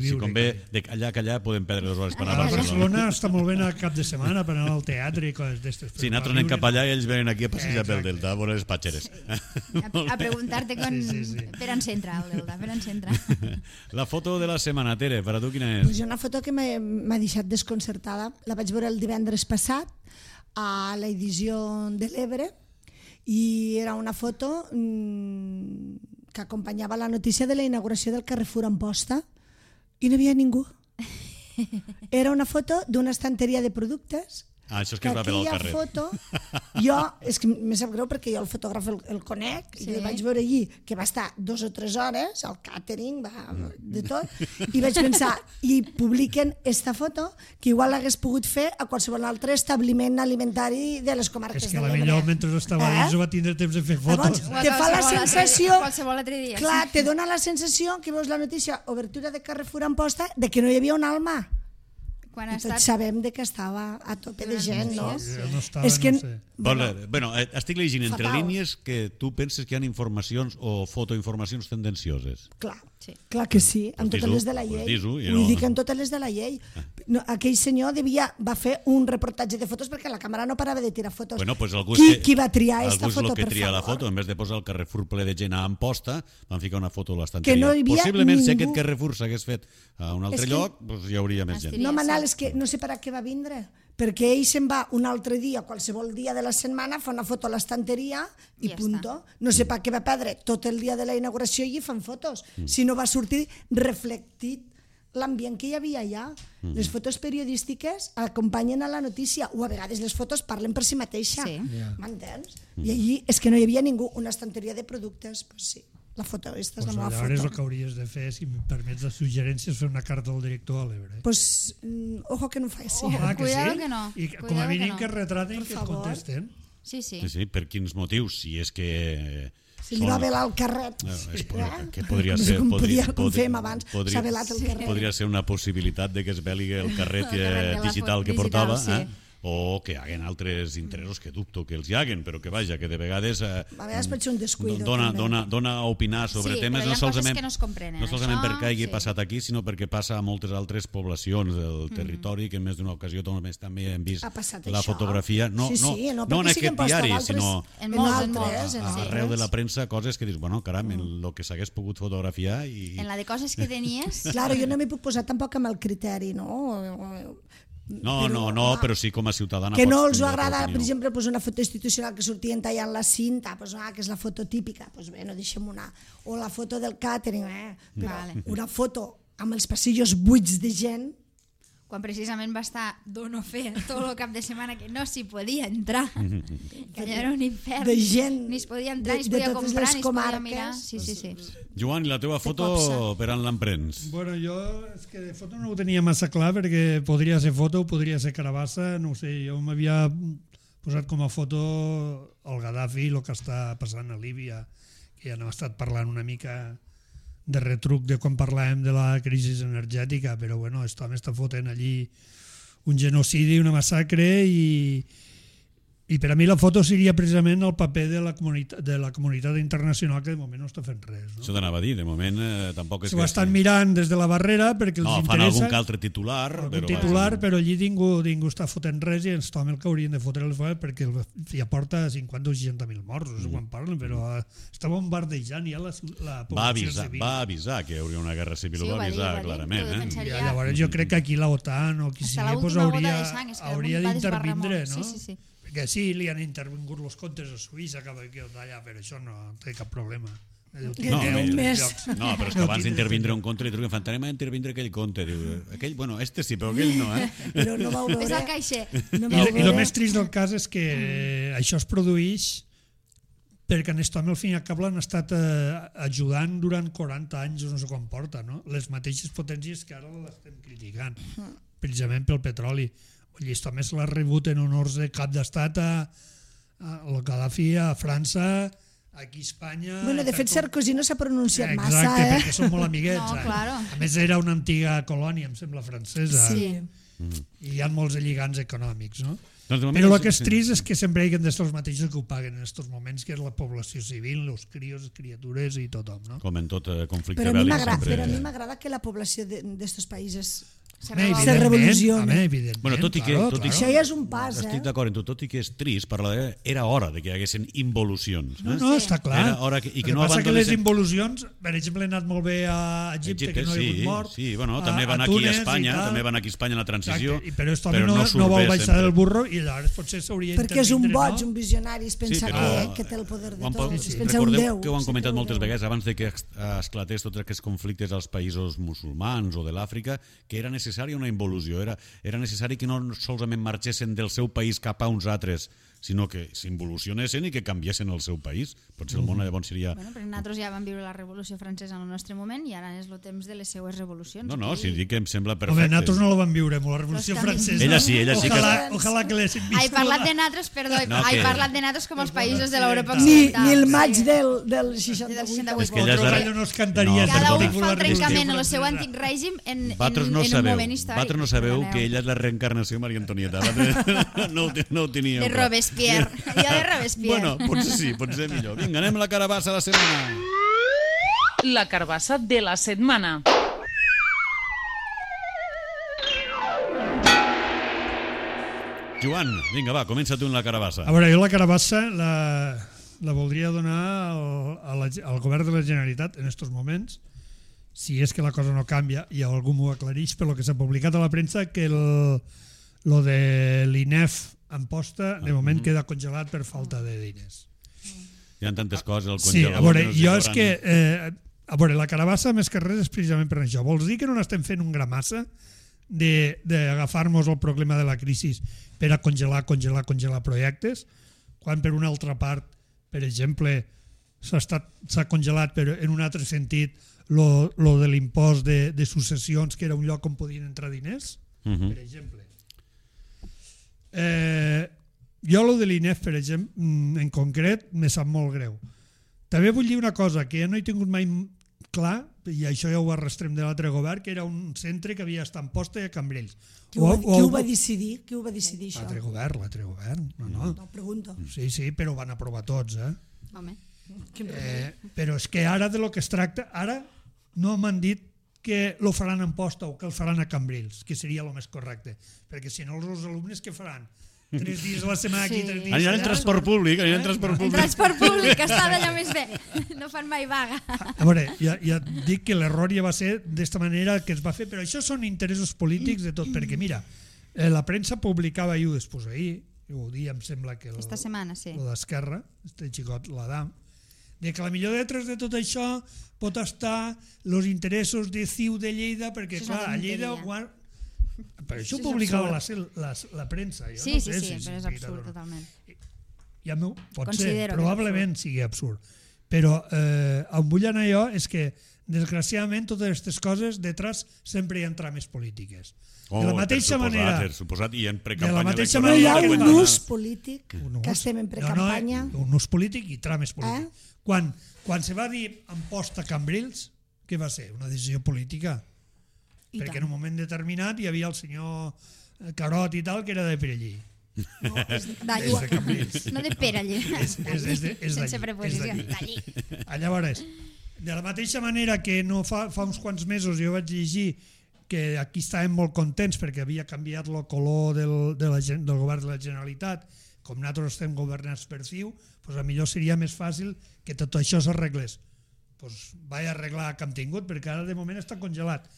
Si convé, allà que allà podem perdre 2 hores per anar a Barcelona. Està molt bé anar cap de setmana per anar al teatre i coses d'estes. Si nosaltres anem cap allà i ells venen aquí a passejar pel Delta, a veure les patxeres. A preguntar-te per on s'entra el Delta, per on s'entra. La foto de la setmana, Tere, per a tu quina és? Una foto que m'ha deixat desconcertada. La vaig veure el divendres passat a l'edició de l'Ebre i era una foto que acompanyava la notícia de la inauguració del Carrefour Amposta i no hi havia ningú. Era una foto d'una estanteria de productes. Això és que es va veure al carrer. Foto, jo, és que me sap greu perquè jo el fotògraf el conec i el vaig veure allí, que va estar 2 o 3 hores, el càtering, de tot, i vaig pensar, i publiquen esta foto que igual l'hagués pogut fer a qualsevol altre establiment alimentari de les comarques de l'Ebre. És que potser mentre estava dins va tindre temps de fer fotos. Te fa la sensació, qualsevol altre dia. Clar, te dona la sensació que veus la notícia, obertura de Carrefour Amposta, de que no hi havia un alma. I tots sabem que estava a tope de gent, no? És que... Bueno, estic llegint entre línies que tu penses que hi ha informacions o fotoinformacions tendencioses. Clar. Sí. Clar que sí, amb Pues totes dis-ho, les de la pues llei. dis-ho, i Vull no- dir que amb totes les de la llei. No, aquell senyor va fer un reportatge de fotos perquè la càmera no parava de tirar fotos. Bueno, pues algú Qui va triar aquesta algú és foto, el que per tria la favor? foto, en vez de posar el Carrefour ple de gent a Amposta, van ficar una foto a l'estanteria. Que no hi havia Possiblement, si ningú. aquest Carrefour s'hagués fet a un altre És que- lloc, doncs hi hauria més gent. No, Manal, és que no sé per a què va vindre, perquè ell se'n va un altre dia, qualsevol dia de la setmana, fa una foto a l'estanteria i Ja punto. No sé per què va perdre tot el dia de la inauguració i fan fotos, si no va sortir reflectit l'ambient que hi havia allà. Les fotos periodístiques acompanyen a la notícia, o a vegades les fotos parlen per si mateixa. Sí. M'entens? I allí és que no hi havia ningú, una estanteria de productes, pues sí. La foto, aquesta és la meva Llavors el que foto. hauries de fer, si em permets de suggerències, fer una carta al director a l'Ebre. Pues, ojo que no ho faci. Clar Cuidado que no, I com a cuidado que mínim no. que retraten Per que et favor. contesten. Sí, sí. Sí, sí, per quins motius? Si és que... Si li va velar el carret. Que podria No sé ser... com fèiem abans, s'ha velat el carret. Podria ser una possibilitat de que es veli el carret El carret de la digital que digital, portava, sí. o que hi haguen altres interessos, que dubto que els hi haguen, però que vaja, que de vegades... A vegades pot ser un descuido. Dona també. a opinar sobre Sí, temes però hi ha coses solament, que no es comprenen, no solament això, perquè hagi sí. passat aquí, sinó perquè passa a moltes altres poblacions del territori, que en més d'una ocasió també hem vist Ha passat la això. fotografia, no Sí, sí, en no, perquè aquest siguin posta diari, d'altres- sinó En molts, altres, en arreu de la altres. premsa, coses que dius, bueno, caram, el que s'hagués pogut fotografiar i... En la de coses que tenies... Claro, jo no m'hi puc posar tampoc amb el criteri, no? No, però sí com a ciutadana que no pots els tindre agrada, l'opinió. per exemple, pues una foto institucional que sortien tallant la cinta, pues, que és la foto típica, pues bé, no deixem una. O la foto del càtering, però Vale. una foto amb els passillos buits de gent, quan precisament va estar dono fe tot el cap de setmana que no s'hi podia entrar, que allò era un infern, de gent ni es podia entrar, ni es de podia totes comprar, les ni es podia comarques. mirar. Sí. Joan, i la teva foto copsa. per on l'emprens? Bueno, jo és que de foto no ho tenia massa clar perquè podria ser foto, podria ser carabassa, no ho sé, jo m'havia posat com a foto el Gaddafi, el que està passant a Líbia, que ja n'hem estat parlant una mica de retruc de quan parlàvem de la crisi energètica, però bueno, està fotent allí un genocidi, una massacre i per a mi la foto seria precisament el paper de la comunitat internacional que de moment no està fent res. No? Això t'anava a dir, de moment tampoc és S'ho estan mirant des de la barrera perquè els fan interessa algun que altre titular, però allí ningú està fotent res i ens tomen el que haurien de fotre els fora perquè ja porta 50 o 60.000 morts, no sé quan parlen, però està bombardejant ja la població civil. Va avisar que hi hauria una guerra civil, Sí, ho ho va va dir, avisar ho va dir, clarament. que ho defensaria. I llavors jo crec que aquí l'OTAN o qui Hasta sigui l'última gota hauria, de sang, és que hauria el món va desbarrar d'intervindre, molt. no? Sí. Perquè sí, li han intervingut els comptes a Suïssa cap aquí o d'allà, però això no té cap problema. No, més. no, però és que abans d'intervindre un compte li truquen, anem a intervindre aquell compte. Diu, aquell, bueno, este sí, però aquell no, Però no vau veure... És el caixer. No I el més trist del cas és que això es produeix perquè en Estom al fin i al cap l'han estat ajudant durant 40 anys o no sé quan porta, no? Les mateixes potències que ara l'estem criticant, precisament pel petroli. Estom se l'ha rebut en honors de cap d'estat al Gaddafi, a França, aquí a Espanya... Bueno, de fet, Sarkozy no s'ha pronunciat massa, Exacte, perquè són molt amiguets. No, claro. A més, era una antiga colònia, em sembla, francesa. Sí. I hi ha molts lligants econòmics, no? Doncs de moment Però el que és trist és que sempre hi ha de ser els mateixos que ho paguen en aquests moments, que és la població civil, els crios, les criatures i tothom, no? Com en tot conflicte Però a mi bèl·lic. m'agrada que la població d'estos països Evidentment, revoluciona. evidentment, Bueno, tot i que- claro, tot i que- Això ja és un pas, Estic d'acord amb tu, tot i que és trist, era hora de que hi haguessin involucions. No, no, està clar. Era hora que El que no passa que les abandonessin- involucions, per exemple, han anat molt bé a Egipte, que no hi ha hagut mort. Sí, bueno, també van aquí a Espanya, també van aquí a Espanya en la transició, Exacte, però esto però no vol surt bé baixar sempre. del burro i llavors potser s'hauria Perquè és un d'intervindre, boig, no? un visionari, es pensa Sí, però que té el poder de ho han tot. pa- Es pensa un recordeu déu. que ho han Sí, comentat un moltes déu. vegades abans de que esclatés tots aquests conflictes als països musulmans o de l'Àfrica, que era necessària una involució, era necessari que no solament marxessin del seu país cap a uns altres, sinó que s'involucionessin i que canviessin el seu país. Potser el món llavors seria... Bueno, però nosaltres ja vam viure la Revolució Francesa en el nostre moment i ara és el temps de les seues revolucions. No, si dic que em sembla Home, perfecte. nosaltres no la vam viure, molt la Revolució Però està Francesa. Ella sí que... Ojalà que l'haguessin viscut. He parlat de nosaltres, perdó, No, he que- parlat de nosaltres com els països de l'Europa Ni occidental. el maig Sí. del 68. 68. És que ella és Vosaltres la... allò no es cantaria. No, Cada perdoni. un fa el trencament en el seu Francesa. antic règim en Vosaltres no un sabeu, moment històric. vosaltres no sabeu Perdoneu. que ella és la reencarnació de Maria Antonieta. No ho teníeu. De clar. Robespierre. Jo de Robespierre. Bueno, potser sí, potser millor. Vinga, anem a la carabassa de la setmana. La carbassa de la setmana. Joan, vinga, va, comença tu en la carabassa. A veure, jo la carabassa la voldria donar al govern de la Generalitat en aquests moments, si és que la cosa no canvia i algú m'ho aclareix, per lo que s'ha publicat a la premsa, que lo de l'INEF Amposta de moment queda congelat per falta de diners. Hi ha tantes coses, el Sí, congelador... a veure, jo és que... A veure, la carabassa més que res és precisament per això. Vols dir que no n'estem fent un gramassa d'agafar-nos el problema de la crisi per a congelar projectes, quan per una altra part, per exemple, s'ha congelat però en un altre sentit lo de l'impost de successions, que era un lloc on podien entrar diners, per exemple. Jo lo de l'INEF, per exemple, en concret, me sap molt greu. També vull dir una cosa, que ja no he tingut mai clar, i això ja ho arrastrem de l'altre govern, que era un centre que havia estat a Amposta i a Cambrils. Qui ho va decidir? Qui ho va decidir, això? L'altre govern. No, pregunto. Sí, però ho van aprovar tots, Home. Però és que ara de lo que es tracta, ara no m'han dit que lo faran a Amposta o que el faran a Cambrils, que seria el més correcte, perquè si no els alumnes què faran? 3 dies a la setmana aquí, 3 dies Aniran en transport públic, En transport públic, que està d'allò més bé. No fan mai vaga. A veure, ja dic que l'error ja va ser d'esta manera que es va fer, però això són interessos polítics de tot, perquè mira, la premsa publicava ahir o després ahir, ho dia em sembla que Esta setmana, sí. el d'Esquerra, este xicot, l'Adam, de que la millor detrás de tot això pot estar els interessos de CiU de Lleida, perquè clar, a Lleida... Per això ho publicava la premsa. Sí, però és absurd totalment. Ja pot ser, probablement sigui absurd. Però on vull anar jo és que, desgraciadament, totes aquestes coses detrás sempre hi ha trames polítiques. De la mateixa manera... I en no hi ha un ús polític, que estem en precampanya. Un ús polític i trames polítics. Quan se va dir Amposta Cambrils, què va ser? Una decisió política. Perquè en un moment determinat hi havia el senyor Carot i tal, que era de Perellí. No, de Cambrils. No de Perellí. Sense preposició. Llavors, de la mateixa manera que no fa uns quants mesos jo vaig llegir que aquí estàvem molt contents perquè havia canviat el color del govern de la Generalitat, com nosaltres estem governats per CiU, doncs millor seria més fàcil que tot això s'arreglés. Doncs vaig arreglar que hem tingut, perquè ara de moment està congelat.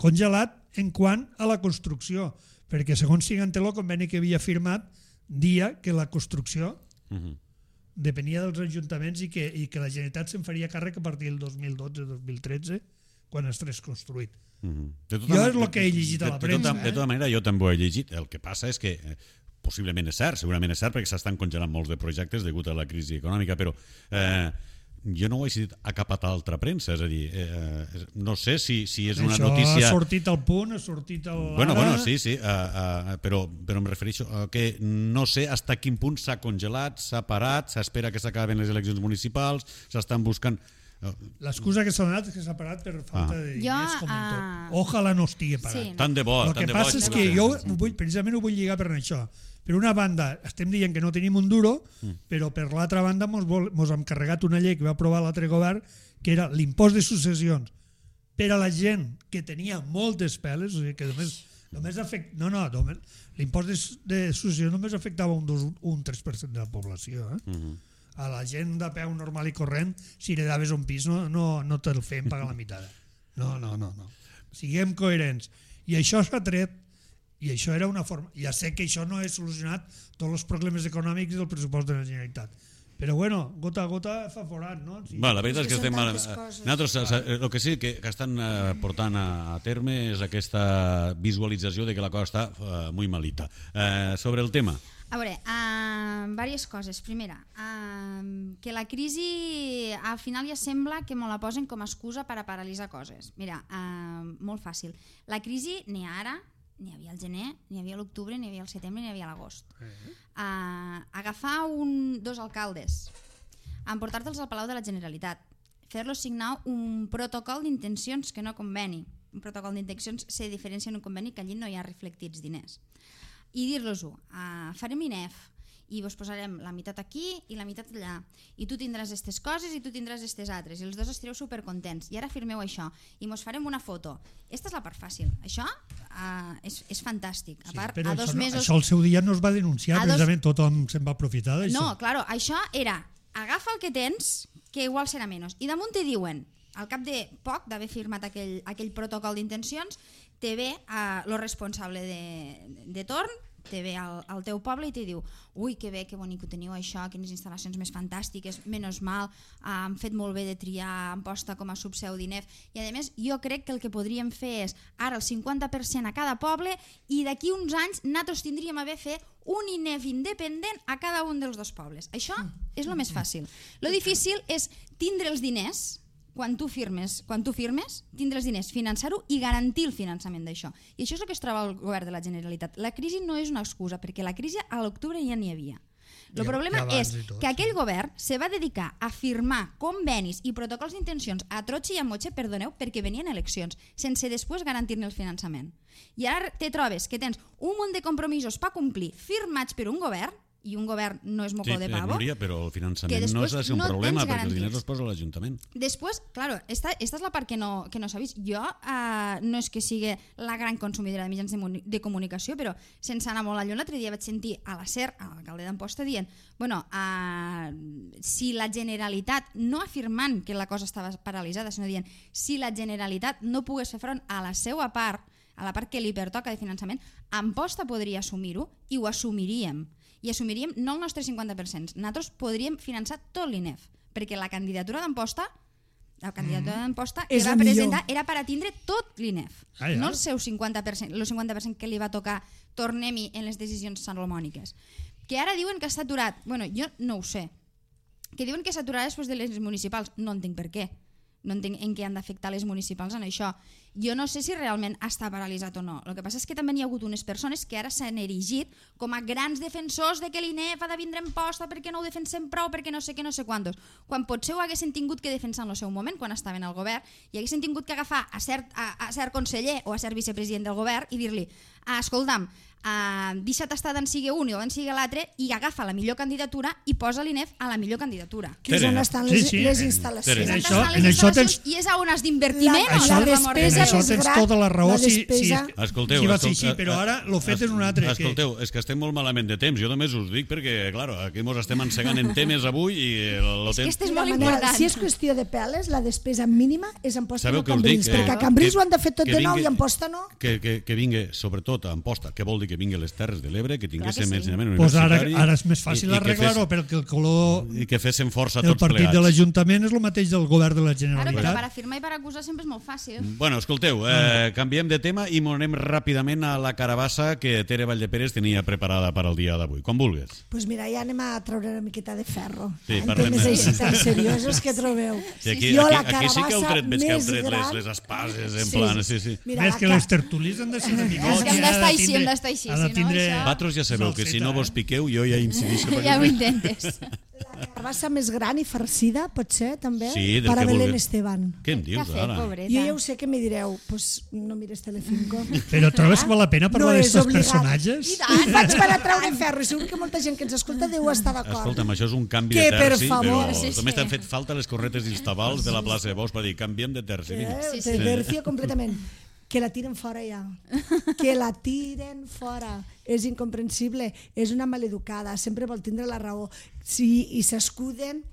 Congelat en quant a la construcció, perquè segons Siganté el conveni que havia firmat dia que la construcció depenia dels ajuntaments i que la Generalitat se'n faria càrrec a partir del 2012-2013 quan estés construït. Jo és el que he llegit a la premsa. De tota manera, jo també ho he llegit. El que passa és que possiblement és cert, segurament és cert, perquè s'estan congelant molts de projectes degut a la crisi econòmica, però jo no ho he sentit a cap altra premsa, és a dir, no sé si és una notícia... Això ha sortit al Punt, ha sortit al... Bueno, sí, però em refereixo a que no sé fins a quin punt s'ha congelat, s'ha parat, s'espera que s'acaben les eleccions municipals, s'estan buscant... L'excusa que s'ha donat és que s'ha parat per falta de diners, com en tot. Ojalà no estigui parat. Tant de bo. El que passa és que jo precisament ho vull lligar per això. Per una banda, estem dient que no tenim un duro, però per l'altra banda mos hem carregat una llei que va aprovar l'altre govern, que era l'impost de successions per a la gent que tenia moltes peles, o sigui que l'impost de successions només afectava un 3% de la població. A la gent de peu normal i corrent, si heredaves un pis, no te'l feien pagar la meitat. No. Siguem coherents. I això s'ha tret. I això era una forma... Ja sé que això no ha solucionat tots els problemes econòmics del pressupost de la Generalitat. Però bueno, gota a gota fa forat, no? La veritat és que estem... Nosaltres el que sí que estan portant a terme és aquesta visualització de que la cosa està molt malita. Sobre el tema... A veure, diverses coses. Primera, que la crisi al final ja sembla que me la posen com a excusa per a paralitzar coses. Mira, molt fàcil. La crisi n'hi ha ara, n'hi havia al gener, n'hi havia a l'octubre, n'hi havia al setembre, n'hi havia a l'agost. Agafar dos alcaldes, emportar-te'ls al Palau de la Generalitat, fer-los signar un protocol d'intencions que no conveni. Un protocol d'intencions se diferencia en un conveni que allí no hi ha reflectits diners. I dir-los-ho, farem INEF i vos posarem la meitat aquí i la meitat allà, i tu tindràs aquestes coses i tu tindràs aquestes altres, i els dos estireu supercontents, i ara firmeu això i mos farem una foto. Esta és la part fàcil, això és fantàstic. A part, però a 2 mesos... això al seu dia no es va denunciar, precisament tothom se'n va aprofitar d'això. No, claro, això era agafa el que tens, que igual serà menys, i damunt te diuen, al cap de poc d'haver firmat aquell protocol d'intencions, te ve lo responsable de torn, te ve al teu poble i te diu ui, que bé, que bonic ho teniu això, quines instal·lacions més fantàstiques, menys mal, han fet molt bé de triar Amposta com a subseu d'INEF, i a més jo crec que el que podríem fer és ara el 50% a cada poble i d'aquí uns anys nosaltres tindríem haver fet un INEF independent a cada un dels 2 pobles. Això és el més fàcil. Lo difícil és tindre els diners quan tu firmes, tindre els diners, finançar-ho i garantir el finançament d'això. I això és el que es troba el govern de la Generalitat. La crisi no és una excusa, perquè la crisi a l'octubre ja n'hi havia. El problema és que aquell govern se va dedicar a firmar convenis i protocols d'intencions a trotxe i a motxe, perdoneu, perquè venien eleccions, sense després garantir-ne el finançament. I ara te trobes que tens un munt de compromisos per complir firmats per un govern, i un govern no és moco de pavo. Núria, però el finançament no és un problema, perquè els diners els posa l'Ajuntament. Després, claro, esta és la part que no s'ha vist. Jo no és que sigui la gran consumidora de mitjans de comunicació, però sense anar molt lluny, l'altre dia vaig sentir a la SER, a l'alcalde d'Amposta, dient si la Generalitat, no afirmant que la cosa estava paralitzada, sinó dient si la Generalitat no pogués fer front a la seva part, a la part que li pertoca de finançament, Amposta podria assumir-ho i ho assumiríem. I assumiríem no el nostre 50%. Nosaltres podríem finançar tot l'INEF, perquè la candidatura d'Amposta que va presentar era per atindre tot l'INEF, no el seu 50%, el 50% que li va tocar tornem-hi en les decisions salomòniques. Que ara diuen que està aturat. Bueno, jo no ho sé. Que diuen que s'aturarà després de les municipals. No entenc per què. No entenc en què han d'afectar les municipals en això. Jo no sé si realment està paralitzat o no. El que passa és que també hi ha hagut unes persones que ara s'han erigit com a grans defensors de que l'INEF ha de vindre en posta perquè no ho defensem prou, perquè no sé què, no sé quantos. Quan potser ho haguessin tingut que defensar en el seu moment, quan estaven al govern, i haguessin tingut que agafar a cert conseller o a cert vicepresident del govern i dir-li escolta'm, deixa't estar d'en sigui un i d'en sigui l'altre i agafa la millor candidatura i posa l'INEF a la millor candidatura. Que és on estan les instal·lacions. I és on has d'invertiment. La despesa això tens tota la raó si va ser així, però ara l'ho fet és un altre. Escolteu, és que estem molt malament de temps. Jo només us dic perquè, claro, aquí mos estem encegant en temes avui i el temps... És molt important. Si és qüestió de peles, la despesa mínima és Amposta i no Cambrils, perquè a Cambrils ho han de fer tot de nou i Amposta no. Que vingui, sobretot a Amposta, que vol dir que vingui a les Terres de l'Ebre, que tinguéssim ensenyament universitari... Ara és més fàcil arreglar-ho, perquè el color... I que féssim força tots plegats. El partit de l'Ajuntament és el mateix del govern de la Generalitat. Però per afirmar i per acusar sempre és molt fàcil. Bueno, escolteu, canviem de tema i anem ràpidament a la carabassa que Tere Valldeperes tenia preparada per al dia d'avui. Com vulguis. Doncs mira, ja anem a treure una miqueta de ferro. Sí, en temes així tan seriosos que trobeu. Aquí sí que heu tret les espases, en plan... Més que les tertulis han de ser una mica... Hem d'estar així, Vosaltres ja sabeu que si no vos piqueu jo ja incideixo. Ja ho intentes. La carabassa més gran i farcida, pot ser, també? Sí, per a Belén Esteban. Què em dius ara? Jo ja ho sé que me direu, pues no mires Telecinco. Però trobes que val la pena parlar d'aquests personatges? I faig per a treure ferro, i segur que molta gent que ens escolta deu estar d'acord. Escolta'm, això és un canvi de terci, però només t'han fet falta les corretes i els tabals de la plaça de Bous per dir, canviem de terci. De tercio completament. Que la tiren fora ja. Que la tiren fora. És incomprensible. És una maleducada. Sempre vol tindre la raó. I s'escuden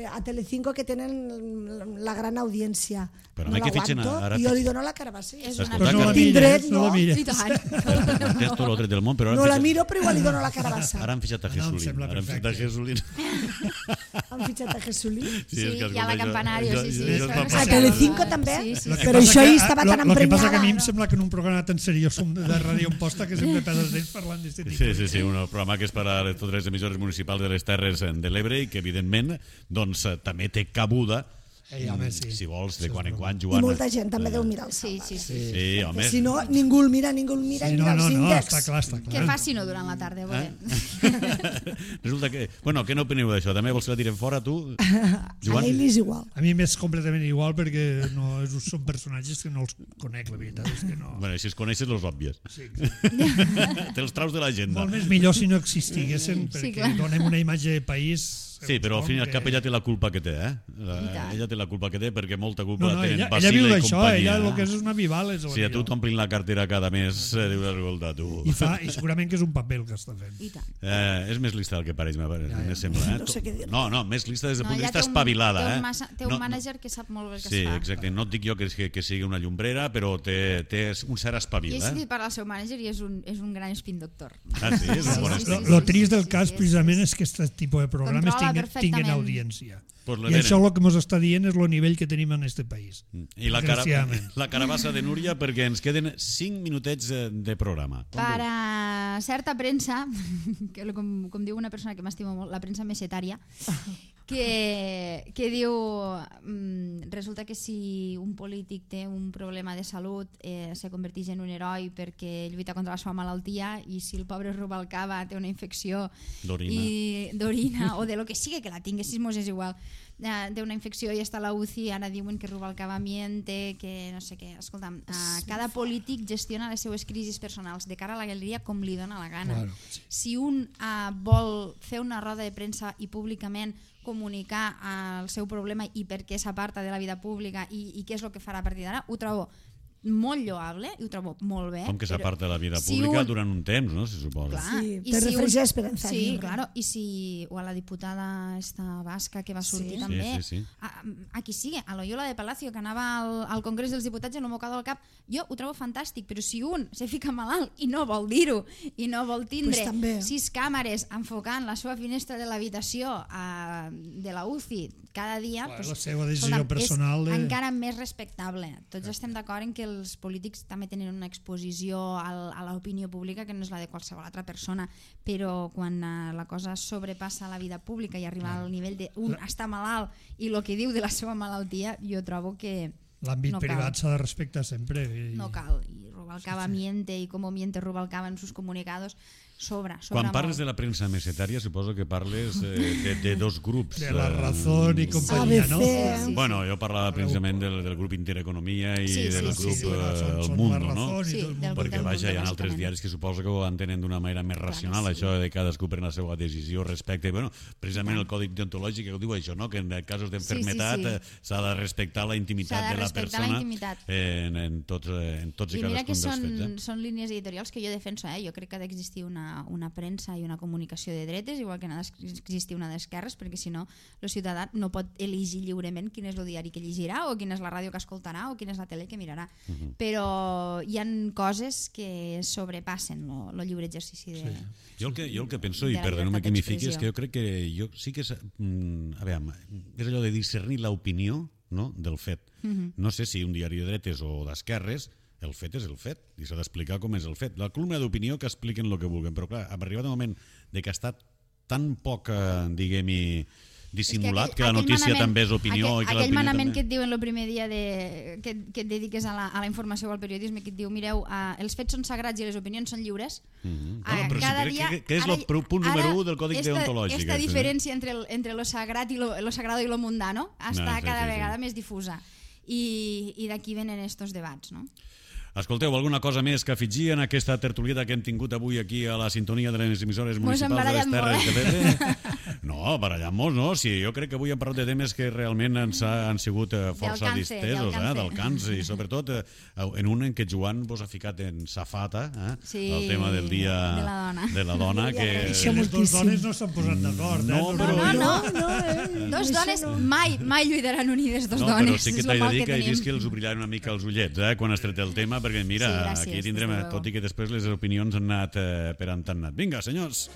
a Telecinco, que tenen la gran audiència. Però no l'aguanto i jo li dono la carabassa. Però no la mires, no la mires. Tens tot l'altre del món, però... No la miro, però igual li dono la carabassa. Ara han fitxat a Jesulín. Han fitxat a Jesulín? Sí, i a la Campanario, sí. A Telecinco també? Però això hi estava tan emprenyada. El que passa que a mi em sembla que en un programa tan seriós de Ràdio Amposta que sempre pedes d'ells parlant d'aquest tipus. Sí, un programa que és per a totes les emissores municipals de les Terres de l'Ebre i que, evidentment, doncs també té cabuda home, sí. Si vols, de quan en quan, I Joan. molta gent també deu mirar el Salvador. Sí, home. Si no, ningú el mira, Sí, mira els índexs. està clar. Què faci no durant la tarda, volem. Resulta que... Bueno, què n'opineu d'això? També vols que la tirem fora, tu? A ell és igual. A mi m'és completament igual perquè no, són personatges que no els conec, la veritat és que no. Bueno, si els coneixes, los òbvies. Sí, Te'ls traus de l'agenda. molt més millor si no existiguessin, perquè clar. donem una imatge de país... Sí, però al fin i al cap ella té la culpa que té, eh? tant. Ella té la culpa que té perquè molta culpa No, la tenen ella Basile viu i d'això, companyia. ella el que és una vivales. Si a tu t'omplin la cartera cada mes, dius, escolta, tu... I segurament que és un paper el que està fent. I tant. És més lista del que pareix, me sembla. No sé què dir. No, més lista des del No, punt de ella vista espavilada. té un mànager que sap molt bé el que Sí, es fa. exacte. No et dic jo que sigui una llumbrera, però té un cert I espavil, he sentit parlar del seu mànager i és un gran spin doctor. Ah, sí? És un bon Sí, estil. Lo trist del cas, precisament, és que aquest tipus de programes Controla tinguin perfectament. audiència. Pues la I tenen. això el que ens està dient és el nivell que tenim en aquest país. I Desgraciadament. la carabassa de Núria, perquè ens queden 5 minutets de programa. Per a certa premsa, que com diu una persona que m'estimo molt, la premsa mesetària, que diu resulta que si un polític té un problema de salut se converteix en un heroi perquè lluita contra la seva malaltia, i si el pobre Rubalcaba té una infecció d'orina o de lo que sigui que la tinguessis, mos és igual, té una infecció i està a la UCI, ara diuen que Rubalcaba miente, que no sé què. Escolta'm, cada polític gestiona les seues crisis personals de cara a la galeria com li dona la gana. Claro, sí. Si un vol fer una roda de premsa i públicament comunicar el seu problema i per què s'aparta de la vida pública i què és el que farà a partir d'ara, ho trobo molt lloable i ho trobo molt bé. Com que s'aparta de la vida si pública un- durant un temps, no? Se suposa. Clar, Sí, i te si refereix un- a Esperanza Sí, Aguirre. claro, i si o a la diputada esta basca que va sortir Sí. també, Sí. a qui sigui, a l'Oyola de Palacio que anava al Congrés dels Diputats en un mocador al cap, jo ho trobo fantàstic, però si un se fica malalt i no vol dir-ho i no vol tindre Pues també. 6 càmeres enfocant la seva finestra de l'habitació de la UCI cada dia, Clar, pues, la seva decisió escolta'm, personal és de- encara més respectable. Tots estem d'acord en que els polítics també tenen una exposició a l'opinió pública que no és la de qualsevol altra persona, però quan la cosa sobrepassa la vida pública i arriba al nivell d'un està malalt i el que diu de la seva malaltia, jo trobo que L'àmbit no cal. privat s'ha de respectar sempre. No cal. I Rubalcaba miente, i com miente Rubalcaba en sus comunicados, sobra Quan parles molt. de la premsa mesetària, suposo que parles de dos grups. De la Razón i companyia, no? ABC. Sí. Bueno, jo parlava precisament del grup Intereconomia i Sí, del sí, grup sí. El Són Mundo, la no? Razón i Sí, tot el del Mundo. Perquè del vaja, hi ha Mundo, altres bàsicament. diaris que suposo que ho entenen d'una manera més racional, sí. això de cadascú pren la seva decisió respecte. Bueno, precisament el còdic deontològic que ho diu això, no? Que en casos d'enfermetat Sí, sí, s'ha de respectar la intimitat S'ha de de la respectar la persona intimitat. en tots i I mira que cadascun dels fets. són línies editorials que jo defenso. Jo crec que ha d'existir una premsa i una comunicació de dretes, igual que n'ha d'existir una d'esquerres, perquè si no, el ciutadà no pot elegir lliurement quin és el diari que llegirà o quina és la ràdio que escoltarà o quina és la tele que mirarà. Però hi han coses que sobrepassen el lliure exercici de... Jo el que penso, de i la perdoneu-me llibertat que m'hi fiqui, és d'expressió. que jo crec que jo sí que a veure, és allò de discernir l'opinió, no?, del fet. No sé si un diari de dretes o d'esquerres, el fet és el fet i s'ha d'explicar com és el fet. La columna d'opinió que expliquen el que vulguin, però clar, ha arribat el moment de que ha estat tan poc, diguem-hi, dissimulat, que la notícia també és opinió i que aquell l'opinió manament també... que et diuen el primer dia que et dediques a la informació o al periodisme, que et diu, mireu, els fets són sagrats i les opinions són lliures. Bueno, però sí, que és el punt número 1 del còdic deontològic. Esta diferència entre lo sagrat i lo sagrado i lo mundano està cada vegada més difusa. I d'aquí venen estos debats, no? Escolteu, alguna cosa més que afegir en aquesta tertulieta que hem tingut avui aquí a la sintonia de les emissores municipals de les Terres de l'Ebre? No, barallant-nos, no? Sí, jo crec que avui hem parlat de temes que realment ens han sigut força distesos, del càncer, i sobretot en un en què Joan vos ha ficat en safata, el tema del dia de la dona. Que Les dues dones no s'han posat d'acord. No, però... Dos dones mai lluitaran unides, dos No, dones. però sí que t'he de dir que he vist que els obrillaran una mica els ullets quan has tret el tema, perquè mira, Sí, gràcies, aquí tindrem, des de luego. tot i que després les opinions han anat per on han anat. Vinga, senyors,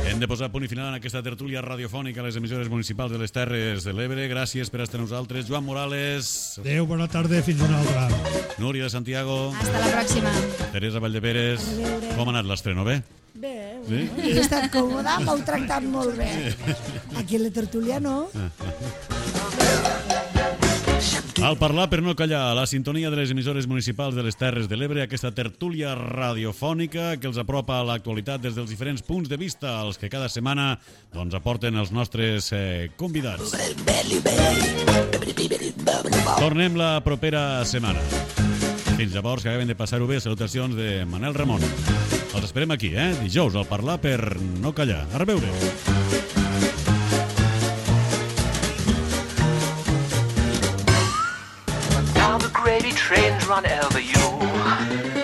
hem de posar punt i final en aquesta tertúlia radiofònica a les emissores municipals de les Terres de l'Ebre. Gràcies per estar amb nosaltres. Joan Morales, Adéu, bona tarda, fins una altra. Núria de Santiago, Hasta la pròxima. Teresa Valldeperes. Com ha anat l'estreno, bé? Bé, Sí? he estat còmoda, m'heu tractat molt bé. Aquí a la tertúlia no. Al parlar per no callar, a la sintonia de les emissores municipals de les Terres de l'Ebre, aquesta tertúlia radiofònica que els apropa a l'actualitat des dels diferents punts de vista, els que cada setmana doncs, aporten els nostres convidats. Tornem la propera setmana. Fins llavors, que acaben de passar-ho bé, salutacions de Manel Ramon. Els esperem aquí, dijous, al parlar per no callar. A reveure. Now the gravy trains run over you.